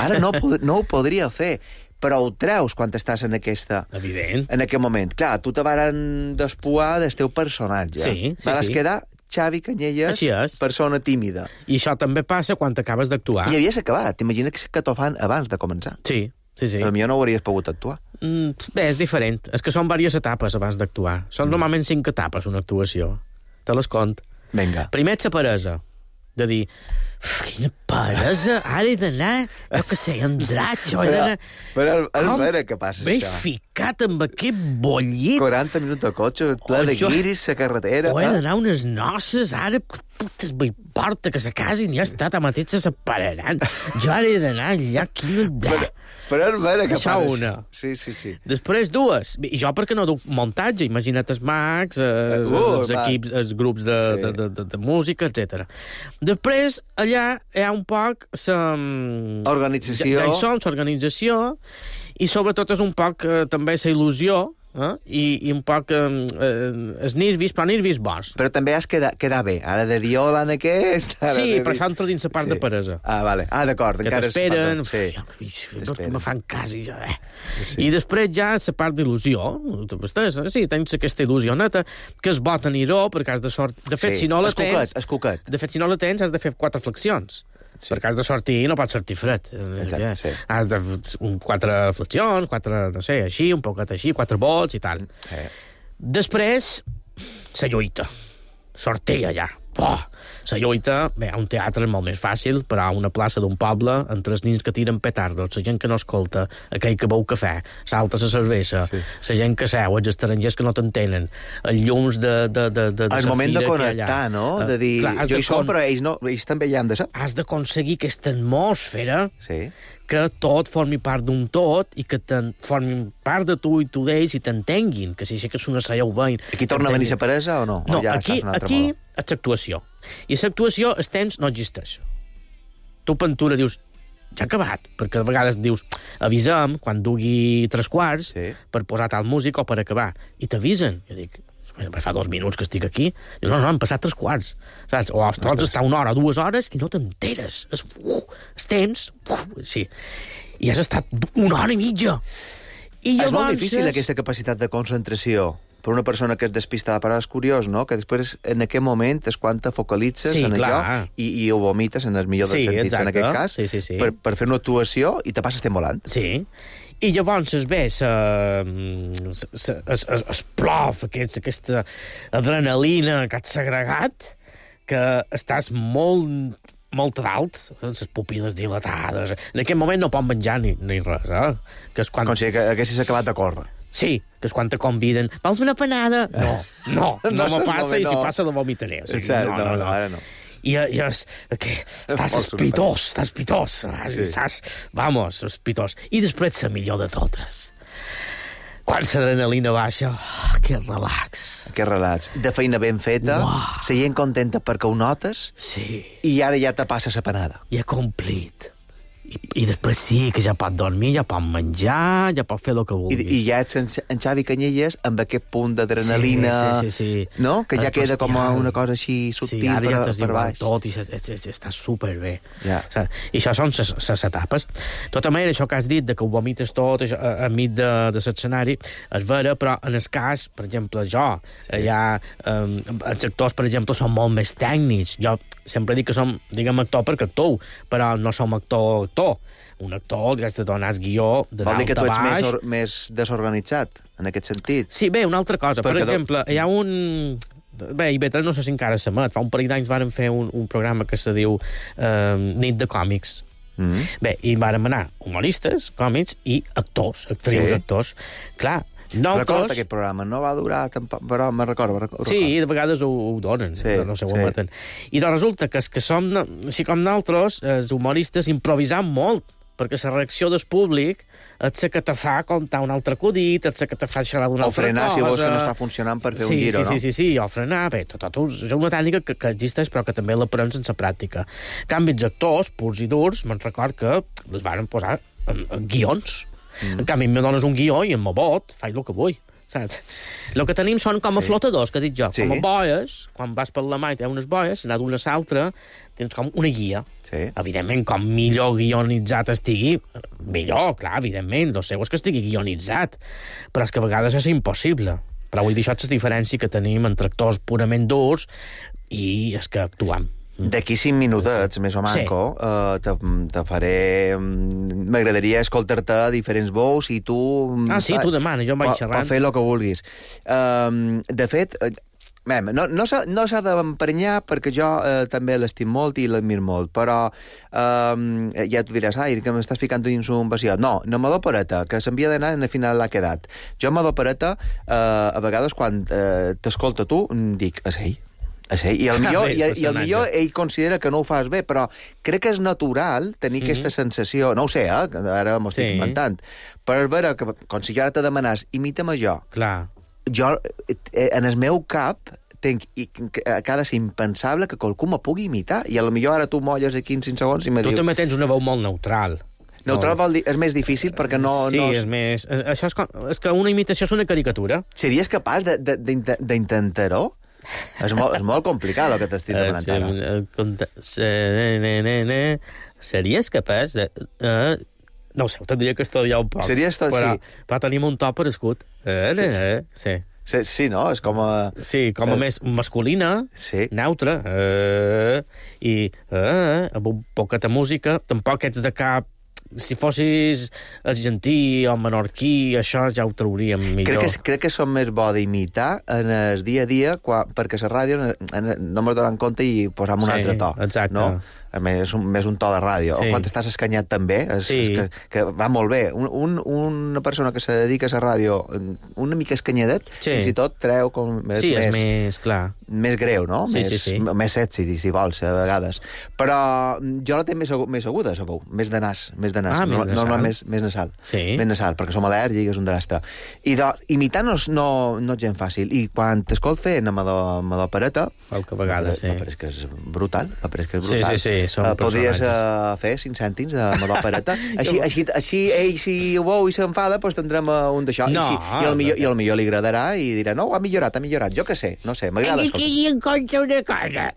Ara no, no ho podria fer, però ho treus quan estàs en aquesta... Evident. En aquest moment. Clar, tu te varen despuar del teu personatge. Sí, sí, Vas sí. quedar Xavi Canyelles, persona tímida. I això també passa quan acabes d'actuar. I havies acabat. T'imagina que t'ho fan abans de començar. Sí. Sí, sí. Però millor no hauries pogut actuar. Mm, bé, és diferent. És que són diverses etapes abans d'actuar. Són mm. normalment cinc etapes, una actuació. Te les cont. Vinga. Primer, la peresa. De dir, quina peresa, ara he d'anar, jo que sé, Andratx, he d'anar... Però, però a veure què passa, M'he això. ficat amb aquest bollit. quaranta minuts de cotxe, ple Oh, de jo- guiris, la carretera... O he eh? d'anar a unes noces, ara, putes, m'importa que se casin, ja està, ta mateix se separaran. Jo ara he d'anar allà, quina... Però, però a veure què Això passa. una. Sí, sí, sí. Després dues. I jo perquè no duc muntatge, imagina't els mags, els, Uh, els va. equips, els grups de, Sí. de, de, de, de música, etcètera. Després, allà hi ha un poc la... Organització. Ja, ja hi som, l'organització, i sobretot és un poc eh, també la il·lusió, eh? I, i un poc eh, eh, els nervis, però nervis bons. Però també has quedar, quedar bé. Ara de dir hola en aquest... Ara Sí, de però dir... això entra dins la part Sí. de peresa. Ah, vale. Ah, d'acord. Que encara és t'esperen, part de- uf, Sí. no, T'esperen. me fan cas i jo, eh. Sí. I després ja la part d'il·lusió. Tu estàs, sí, tens aquesta il·lusioneta, que és bo tenir-ho, perquè has de sort... De fet, Sí. si no la Es cuquet, tens... es cuquet. De fet, si no la tens, has de fer quatre flexions. Sí. Perquè has de sortir i no pots sortir fred. Exacte, sí. Has de un, quatre flexions, quatre, no sé, així, un poquet així, quatre volts i tal. Eh. Després, la lluita. Sortir allà. Buah! La lluita, bé, a un teatre és molt més fàcil, però a una plaça d'un poble, entre els nins que tiren petardos, la gent que no escolta, aquell que beu cafè, salta la cervesa, Sí. la gent que seu, els estrangers que no t'entenen, els llums de, de, de, de, de El sa moment de fira que hi ha connectar, allà. no? Eh, De dir, clar, has jo de hi som, con- però ells, no, ells també hi han de ser. Has d'aconseguir aquesta atmosfera Sí. que tot formi part d'un tot i que formin part de tu i tu d'ells i t'entenguin, que si aixeques una cella ho veïn. Aquí torna a venir la paresa o no? No, o ja aquí, aquí és l'actuació. I l'actuació, el temps no existeix. Tu, pintura, dius, ja ha acabat, perquè a vegades dius, avisem quan dugui tres quarts sí. per posar tal música o per acabar. I t'avisen. Jo dic, fa dos minuts que estic aquí. Diu, no, no, han passat tres quarts. Saps? O pots estar una hora, dues hores i no t'enteres. És, uh, és temps. Uh, sí. I has estat una hora i mitja. I és molt difícil, aquesta capacitat de concentració per una persona que és despistada, però és curiós, no?, que després, en aquest moment, és quan te focalitzes sí, en clar. allò i, i ho vomites, en el millor dels sí, sentits, exacte. en aquest cas, sí, sí, sí. Per, per fer una actuació i te passes temps volant. Sí. I llavors es ve es plof, aquest, aquesta adrenalina que has segregat, que estàs molt molt dalt, amb les pupil·les dilatades. En aquest moment no pot menjar ni, ni res, eh? Que és quan... Com si haguessis acabat de córrer. Sí, que és quan te conviden. Vols una panada? No, no, no, no me passa, i si no. passa la vomitaré. O sigui, Cert, no, no, no, no, no. ara no. I, i és, que estàs espitós, estàs espitós, sí. estàs, vamos, espitós. I després la millor de totes. Quan l'adrenalina baixa, oh, que relax. Que relax. De feina ben feta, wow. la gent contenta perquè ho notes, sí. i ara ja te passa la panada. Ja complit. I, I després sí, que ja pot dormir, ja pot menjar, ja pot fer el que vulguis. I, i ja ets en, en Xavi Canyelles amb aquest punt d'adrenalina, sí, sí, sí, sí. no? Que ja el queda bestial. Com una cosa així subtil sí, ara per, ja per baix. Tot, i està superbé. Ja. I això són les etapes. De tota manera, això que has dit, de que ho vomites tot això, a, a mig de, de l'escenari, és vera, però en el cas, per exemple, jo, sí. hi ha, um, els actors, per exemple, són molt més tècnics. Jo sempre dic que som, diguem, actor perquè actor, però no som actor actor. Un actor que has de donar el guió de dalt a baix. Vol dir que tu ets més, or, més desorganitzat, en aquest sentit? Sí, bé, una altra cosa. Per, per exemple, do... hi ha un... Bé, I B tres no sé si encara s'emet. Fa un parell d'anys vàrem fer un, un programa que se diu eh, Nit de Còmics. Mm-hmm. Bé, i vàrem anar humoristes, còmics i actors, actrius, sí. actors. Clar, nosaltres... Recorda aquest programa, no va durar tampoc, però me'n recordo, recordo. Sí, de vegades ho, ho donen, sí, no sé, ho sí. emeten. I doncs resulta que, que som, així com nosaltres, els humoristes, improvisam molt, perquè la reacció del públic és la que te fa contar un altre acudit, és la que te fa xerrar d'una altra cosa. O frenar, si vols que no està funcionant per fer sí, un giro, sí, no? Sí, sí, sí, o frenar, bé, tot, tot, és una tècnica que, que existeix, però que també l'aprenem sense pràctica. En canvi, els actors, purs i durs, me'n record que les varen posar en, en guions. Mm. En canvi, em dones un guió i em vot, faig el que vull. Saps? El que tenim són com a sí. flotadors, que dic jo, sí. com a boies, quan vas per la mà i té unes boies, anar d'una a l'altra, tens com una guia. Sí. Evidentment, com millor guionitzat estigui, millor, clar, evidentment, el seu és que estigui guionitzat, però és que a vegades és impossible. Però vull dir, això és la diferència que tenim entre actors purament durs i és que actuam. D'aquí cinc minutets, més o manco, sí. uh, te, te faré... M'agradaria escoltar-te a diferents veus i tu... Ah, sí, tu demana, jo em vaig xerrant. Per fer el que vulguis. Uh, de fet, uh, no, no s'ha no d'emprenyar perquè jo uh, també l'estim molt i l'admir molt, però uh, ja tu diràs, ai, que m'estàs ficant dins un vacío. No, no me d'opereta, que s'envia d'anar i al final l'ha quedat. Jo me d'opereta, uh, a vegades quan uh, t'escolta tu, dic, és ell. Sí, i el millor, i, i el millor ell considera que no ho fas bé, però crec que és natural tenir mm-hmm. aquesta sensació, no ho sé, eh, ara m'ho estic sí. inventant, per veure que, com si jo ara te demanàs, imita'm jo. Clar. Jo, en el meu cap, tenc, que ha de ser impensable que qualcú me pugui imitar, i a lo millor ara tu molles aquí en cinc segons i me tu dius... Tu també tens una veu molt neutral. Neutral vol dir, és més difícil perquè no... Sí, no és més... Això és, com, és que una imitació és una caricatura. Series capaç d'intentar-ho? És molt, és molt complicat el que t'estic demanant ara. Series capaç de... Uh, no ho sé, ho tindria que estudiar un poc. Series tot, però, sí. Però tenim un to per escut. Eh, sí, eh, sí. Sí, sí, no? És com a... Sí, com a eh, més masculina, sí. neutra, eh, i eh, amb un poquet de música, tampoc ets de cap... Si fossis argentí o menorquí, això ja ho trauríem millor. Crec que, crec que som més bo d'imitar en el dia a dia, quan, perquè la ràdio en, en, no me'n donen compte i posam un sí, altre to. Exacte. No? a més, un, més un to de ràdio, sí. o quan estàs escanyat també, és, sí. és que, que va molt bé. Un, un, una persona que se dedica a la ràdio una mica escanyadet, sí. fins i tot treu com més, sí, més, és més, clar. més greu, no? Sí, més, sí, sí. més sexy, si vols, a vegades. Però jo la tinc més, agu més aguda, la veu, més de nas, més de nas, ah, no, més no, no, més, més nasal. Sí. Més nasal, perquè som al·lèrgics, un drastre. I de, imitar no, no, no és gens fàcil. I quan t'escolt fent amb la pereta... Qualque vegada, sí. M'apareix que és brutal, m'apareix que és brutal. Sí, sí, sí, són uh, podries personatges. uh, fer cinc cèntims de Amador Pereta. així, així, així ell, si ho veu i s'enfada, doncs tindrem uh, un d'això. No, I, si, i, el millor, I el millor li agradarà i dirà, no, ha millorat, ha millorat. Jo què sé, no sé, m'agrada escoltar. I en compte una cosa.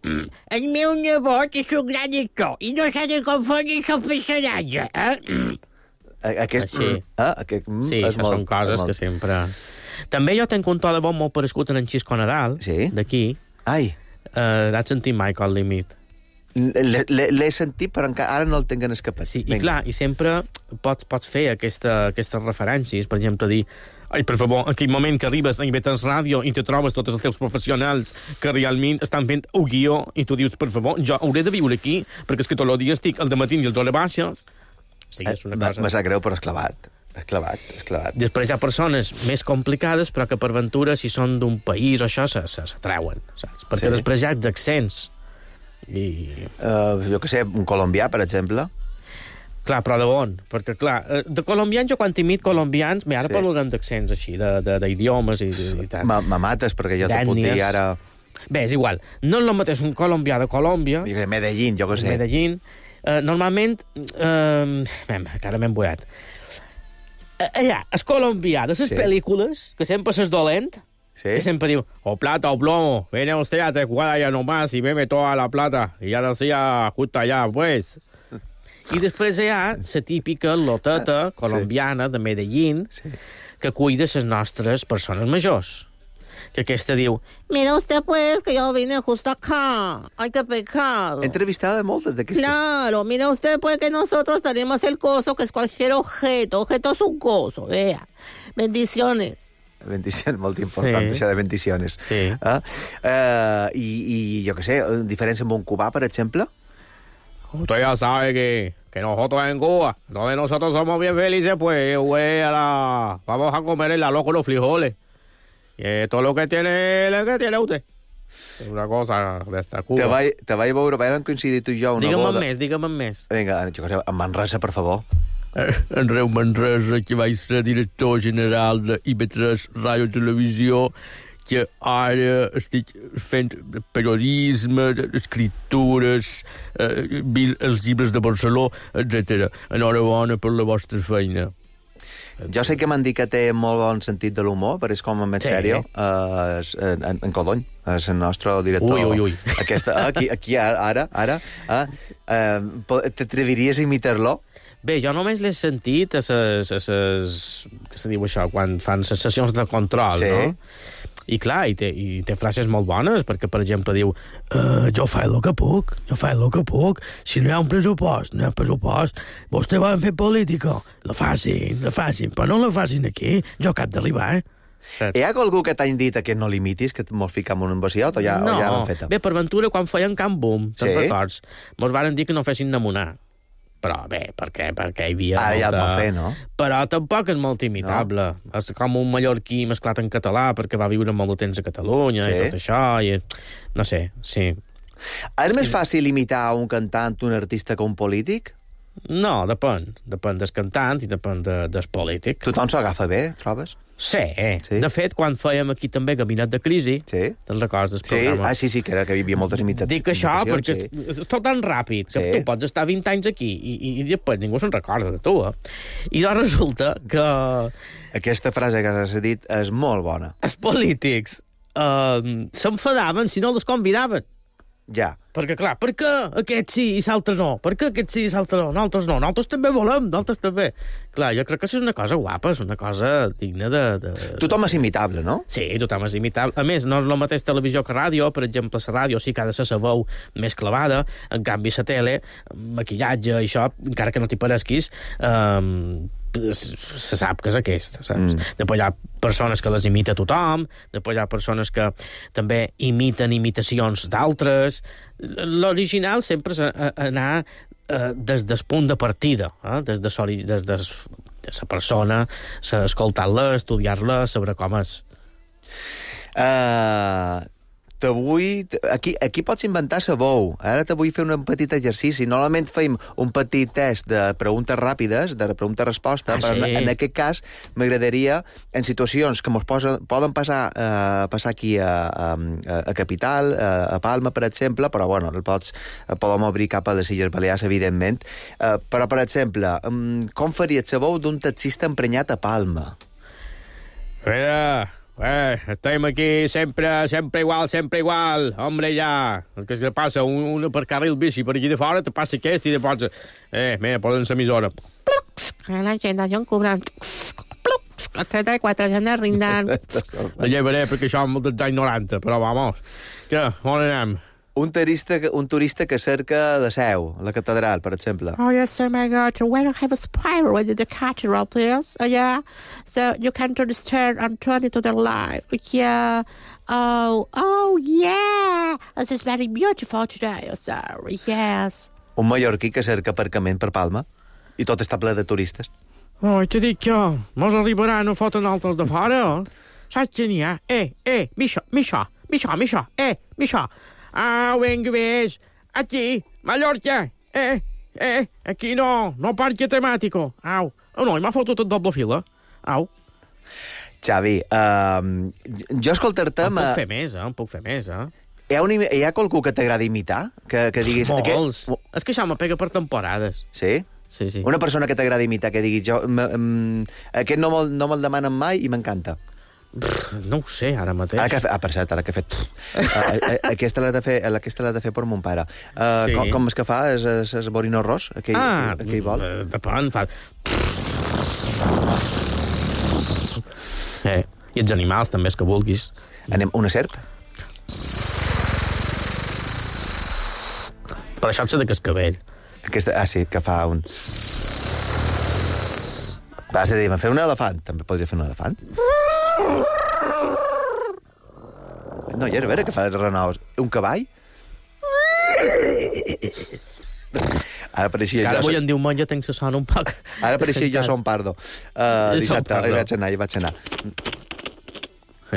El meu nebot és un gran actor i no s'ha de confondre el personatge, eh? Aquest, Així. eh, aquest, mm, sí, això molt, són coses que sempre... També jo tenc un to de veu molt parescut en Xisco Nadal, sí? d'aquí. Ai. Uh, L'has sentit mai, Col Límit? L'he sentit, però encara ara no el tinc en escapat. Sí, i clar, i sempre pots, pots fer aquesta, aquestes referències, per exemple, dir ai, per favor, en aquell moment que arribes a I V tres Ràdio i te trobes tots els teus professionals que realment estan fent un guió i tu dius, per favor, jo hauré de viure aquí perquè és que tot el dia estic al dematí i els hores baixes. Sí, és una cosa... Me sap greu, però és clavat. És clavat, és clavat. Després hi ha persones més complicades, però que per ventura, si són d'un país o això, s'atreuen, saps? Perquè sí. Després hi ha els accents. I... Uh, jo què sé, un colombià, per exemple. Clar, però de on? Perquè, clar, de colombians, jo quan imit colombians, ara sí. Parlarem d'accents així, d'idiomes i, i tal. Me mates, perquè jo te puc dir ara... Bé, és igual. No és el mateix un colombià de Colòmbia... I de Medellín, jo què sé. Medellín. Uh, normalment... Uh, encara m'he emboiat. Uh, allà, el colombià de les sí. Pel·lícules, que sempre s'és dolent, sí. Que sempre diu, o plata o plomo, viene usted a Tecuada ya nomás y bebe toda la plata, y ya decía justo allá, pues... I després hi ha la típica loteta colombiana sí. De Medellín sí. Que cuida les nostres persones majors. Que aquesta diu, mira usted pues que yo vine justo acá, ay qué pecado. He entrevistado de moltes d'aquestes. Claro, mira usted pues que nosotros tenemos el coso que es cualquier objeto, objeto es un coso, vea. Bendiciones. Bendicions, molt important, sí. Això de bendiciones. Sí. Ah? Uh, i, I jo què sé, diferència amb un cubà, per exemple? Usted ya sabe que, que nosotros en Cuba, donde nosotros somos bien felices, pues, güey, a la... vamos a comer el arroz con los frijoles. Y esto es lo que tiene, lo que tiene usted. És una cosa d'esta Cuba. Te vaig, te vaig veure, vam coincidir tu i jo una digue'm boda. Digue'm més, digue'm més. Vinga, jo què sé, en Manresa, per favor. En Reu Manresa, que vaig ser director general de I V tres Ràdio Televisió, que ara estic fent periodisme, escritures, eh, els llibres de Barceló, etcètera. Enhorabona per la vostra feina. Jo sé que m'han dit que té molt bon sentit de l'humor, però és com en sí. Sèrio, uh, en, en Codony, és el nostre director. Ui, ui, ui. Aquesta, aquí, aquí ara, ara, uh, uh, t'atreviries a imitar-lo? Bé, jo només l'he sentit a ses, a ses... què se diu això? Quan fan ses sessions de control, sí. No? I clar, i té, i té frases molt bones, perquè, per exemple, diu uh, jo faig el que puc, jo faig el que puc, si no hi ha un pressupost, no hi ha pressupost, vostè va fer política, la facin, la facin, però no la facin aquí, jo cap d'arribar, eh? Hi ha algú que t'ha dit que no limitis, que mos ficam un embaciot, o ja, no. o ja l'han fet? Bé, per ventura, quan feien Camp Boom, te'n sí? Records, mos varen dir que no fessin namonar. Però bé, per què? Perquè hi havia ah, molta... ja et va fer, no? Però tampoc és molt imitable. No? És com un mallorquí mesclat en català perquè va viure molt de temps a Catalunya sí? I tot això, i... no sé, sí. És més fàcil imitar un cantant, un artista, que un polític? No, depèn. Depèn del cantant i depèn de, del polític. Tothom s'ho agafa bé, trobes? Sí. sí. De fet, quan fèiem aquí també Gabinet de Crisi, sí. Te'n recordes del sí. programa? Ah, sí, sí, que, era, que hi havia moltes imitacions. Dic això perquè sí. és, és tot tan ràpid que sí. Tu pots estar vint anys aquí i, i, i després ningú se'n recorda de tu, eh? I doncs resulta que... Aquesta frase que has dit és molt bona. Els polítics eh, s'enfadaven si no els convidaven. Ja. Perquè, clar, per què aquest sí i l'altre no? Per què aquest sí i l'altre no? Nosaltres no. Nosaltres també volem, nosaltres també. Clar, jo crec que és una cosa guapa, és una cosa digna de... de... Tothom és imitable, no? Sí, tothom és imitable. A més, no és el mateix televisió que ràdio. Per exemple, la ràdio sí que ha de ser la veu més clavada. En canvi, la tele, maquillatge i això, encara que no t'hi paresquis, eh, se sap que és aquesta, saps? Mm. Després hi ha persones que les imita tothom, després hi ha persones que també imiten imitacions d'altres. L'original sempre és anar eh, des del punt de partida, eh? des de soli, des de, de la persona, escoltar-la, estudiar-la, saber com és. Uh, te vull... Aquí, aquí pots inventar sabou. Ara te vull fer un petit exercici. Normalment fem un petit test de preguntes ràpides, de pregunta-resposta, ah, però sí. en, en aquest cas m'agradaria, en situacions que ens poden passar, uh, passar aquí a, a, a Capital, a, a Palma, per exemple, però bueno, el pots, podem obrir cap a les Illes Balears, evidentment. Uh, però, per exemple, um, com faria el sabou d'un taxista emprenyat a Palma? Mira... Eh, estem aquí sempre, sempre igual, sempre igual. Hombre, ja. El que, que passa, un, un per carril bici per aquí de fora, te passa aquest i de pots... Eh, mira, posen l'emissora. La gent d'allò cobren... Els trenta-quatre gent rindant. La llevaré perquè això és molt dels anys noranta, però vamos. Què, on anem? Un turista, un turista que cerca la Seu, la catedral, per exemple. Oh, yes, sir, my God. Why don't have a spiral in the cathedral, please? Uh, yeah. So you can turn the stair and turn it to the light. Yeah. Oh, oh, yeah. This is very beautiful today, sir. Yes. Un mallorquí que cerca aparcament per Palma i tot està ple de turistes. Oh, t'he dit que mos arribaran a fotre altres de fora. Saps què n'hi ha? Eh, eh, Misha, Misha, Misha, Misha, eh, Misha. Au, vinga, ves. Aquí, Mallorca. Eh, eh, aquí no, no parque temàtico. Au. Oh, no, m'ha fotut el doble fila. Au. Xavi, uh, jo escoltar-te... En puc fer més, eh? En puc fer més, eh? Hi ha, un, hi ha qualcú que t'agrada imitar? Que, que diguis... Molts. Que... És que això me pega per temporades. Sí? Sí, sí. Una persona que t'agrada imitar, que diguis... Jo, m aquest no me'l no me demanen mai i m'encanta. No ho sé, ara mateix. Ara que, ah, per cert, ara que he fet... uh, aquesta l'ha de fer, aquesta l'ha de fer per mon pare. Uh, sí. com, com és que fa? És, és, és Borino Ros? Aquell, ah, aquell vol? Depèn, fa... Eh, i els animals també, és que vulguis. Anem, una serp? Per això ets de cascabell. Aquesta, ah, sí, que fa un... Vas a dir, fer un elefant. També podria fer un elefant? No, ja a veure què fa els renaus. Un cavall? Ara pareixia jo... Ara avui so... en diumenge tenc la son un poc... Ara pareixia jo som pardo. Uh, dissabte, hi vaig anar, hi vaig anar.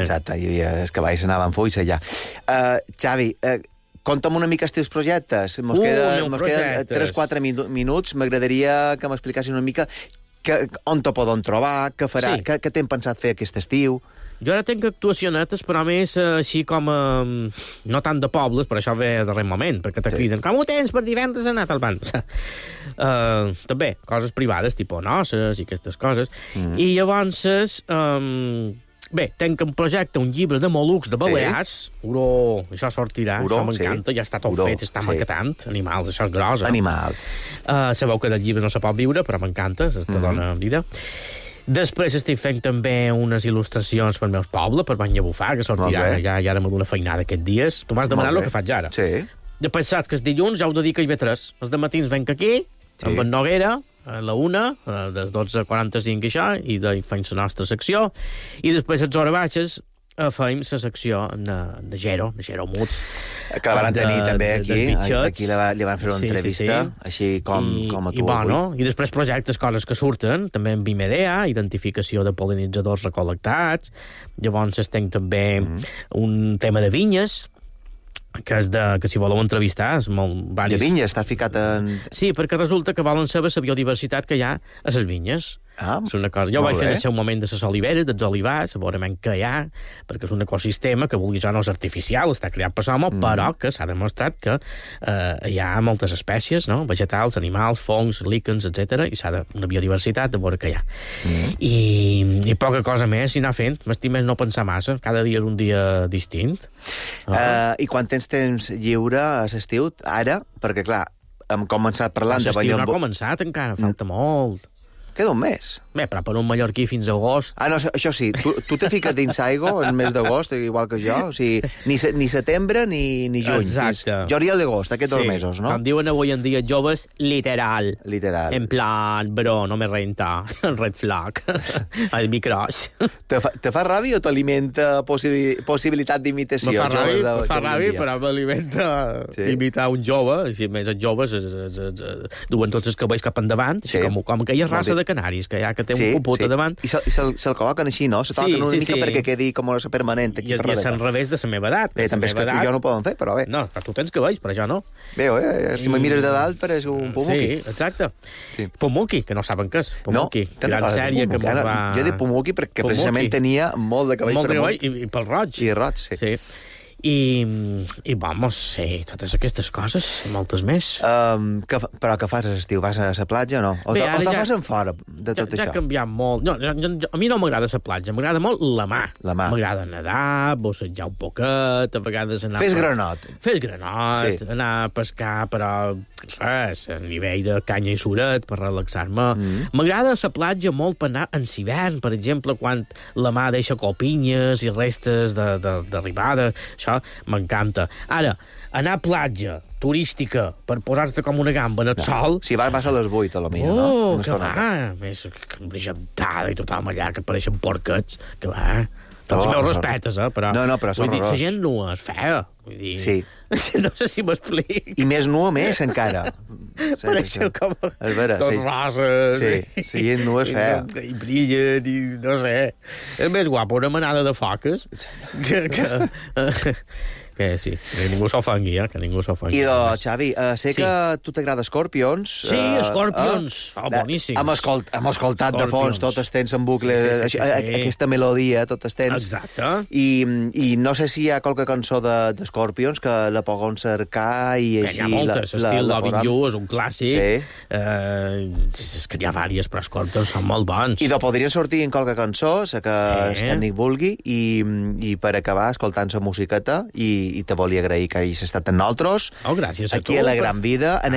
Exacte, hi havia... Els cavalls anaven fulls allà. Uh, Xavi, uh, conta'm una mica els teus projectes. Mos uh, queden, mos queden tres quatre minuts. M'agradaria que m'explicassis una mica que, on te poden trobar, què farà, sí. què, què t'hem pensat fer aquest estiu. Jo ara tenc actuacionetes, però més eh, així com... Eh, no tant de pobles, per això ve de darrer moment, perquè te sí. criden, com ho tens per divendres anar al banc? Uh, també, coses privades, tipus noces i aquestes coses. Mm. I llavors, um, bé, tenc un projecte, un llibre de mol·lucs de Balears, sí. Uro, això sortirà, Uro, això m'encanta, sí. ja està tot Uro, fet, està sí. maquetant, animals, això és gros. Eh? Animal. Uh, sabeu que del llibre no se pot viure, però m'encanta, te mm. dona vida. Després estic fent també unes il·lustracions per meus pobles, per Bany a Bufar, que sortirà, ja, ja ara m'ha d'una feinada aquests dies. Tu m'has demanat el que faig ara. Sí. Després saps que els dilluns ja ho dedica a I B tres. Els dematins venc aquí, sí. amb en Noguera, a la una, de dotze a quaranta-cinc i això, i de, fem la nostra secció, i després a les hores baixes fem la secció de, de Gero, de Gero Muts. Que la van tenir de, també aquí, aquí li, va, li van fer una sí, entrevista, sí, sí. així com, I, com a tu i, bueno, avui. I després projectes, coses que surten, també amb Vimedea, identificació de pol·linitzadors recol·lectats, llavors tenc també mm. un tema de vinyes, que és de, que si voleu entrevistar és molt... Varis... De vinyes, estàs ficat en... Sí, perquè resulta que volen saber la biodiversitat que hi ha a les vinyes. Ah, és una cosa. Jo vaig fer en el seu moment de les oliveres, dels olivars, a veure què hi ha, perquè és un ecosistema que, vulguis o no, és artificial, està creat per l'home, mm. però que s'ha demostrat que eh, hi ha moltes espècies, no? Vegetals, animals, fongs, líquens, etcètera, i s'ha de una biodiversitat de veure què hi ha. Mm. I, I poca cosa més, i anar fent. M'estic més no pensar massa. Cada dia és un dia distint. Uh, uh, I quan tens temps lliure a l'estiu, ara? Perquè, clar, hem començat parlant de... L'estiu no ha començat encara, falta molt. Queda un mes. Bé, però per un mallorquí fins a agost... Ah, no, això sí, tu, tu te fiques dins aigua en mes d'agost, igual que jo, o sigui, ni, se, ni setembre ni, ni juny. Exacte. Jo hauria d'agost, aquests sí. dos mesos, no? Com diuen avui en dia joves, literal. Literal. En plan, bro, no me renta, red flag, el micros. Te fa, te fa ràbia o t'alimenta possi possibilitat d'imitació? Me fa ràbia, de, me fa ràbia, però m'alimenta sí. imitar un jove, i si més els joves es, es, es, es, duen tots els cabells cap endavant, sí. com, com aquella raça de canaris, que ja que té sí, un puput sí. a davant. I se'l se, se col·loquen així, no? Se toquen sí, una sí, mica sí. perquè quedi com una permanent aquí I, per I és al revés de la meva edat. Bé, també és que edat... jo no ho poden fer, però bé. No, però tu tens cabells, però jo no. Bé, eh? Si I... me mires de dalt pareix un pumuqui. Sí, exacte. Sí. Pumuqui, que no saben què és. Pumuqui. No, gran sèrie que no, va... Jo he dit pumuqui perquè pumuqui. precisament tenia molt de cabell. Molt de cabell i, i pel roig. I roig, sí. sí. I, i vamos, sí, totes aquestes coses, moltes més. Um, que, però què fas a l'estiu? Vas a la platja o no? O, Bé, o te ja, fas en fora de tot ja, això? Ja ha canviat molt. No, jo, jo, a mi no m'agrada la platja, m'agrada molt la mà. La mà. M'agrada nedar, bossejar un poquet, a vegades anar... Fes per... granot. Fes granot, sí. anar a pescar, però res, a nivell de canya i suret, per relaxar-me. M'agrada mm. la platja molt per anar en hivern, per exemple, quan la mà deixa copinyes i restes d'arribada, això m'encanta. Ara, anar a platja turística per posar-te com una gamba en el no. sol... Si vas, vas a les vuit, a la millor, oh, no? Oh, que va, més brillantada i tothom allà, que pareixen porquets, que va... Tots oh, meus respetes, eh, però... No, no, però són horrors. La gent nua és fea, vull dir... Sí. No sé si m'explic. I més nua més, encara. Pareixeu com... És vera, tot sí. roses. Sí, sí, gent nua és fea. I, i brillen, i no sé... És més guapo una manada de foques que... que que sí, que ningú s'ofengui, eh? Que ningú s'ofengui. I do, Xavi, uh, sé sí. que a tu t'agrada Scorpions. Sí, uh, Scorpions. Uh, oh, boníssims. Hem, escolt, hem escoltat Scorpions. De fons, tot estens en bucle, sí, sí, sí, sí, sí. aquesta melodia, tot estens. Exacte. I, I no sé si hi ha qualque cançó de, de Scorpions que la poden cercar i així... Hi ha moltes, la, estil la, Loving You és un clàssic. Sí. Uh, és que hi ha vàries, però Scorpions són molt bons. I de podrien sortir en qualque cançó, la que eh. el tècnic vulgui, i, i per acabar escoltant la musiqueta, i, i te volia agrair que hagis estat amb nosaltres. Oh, gràcies a aquí tu. A la Gran Vida, en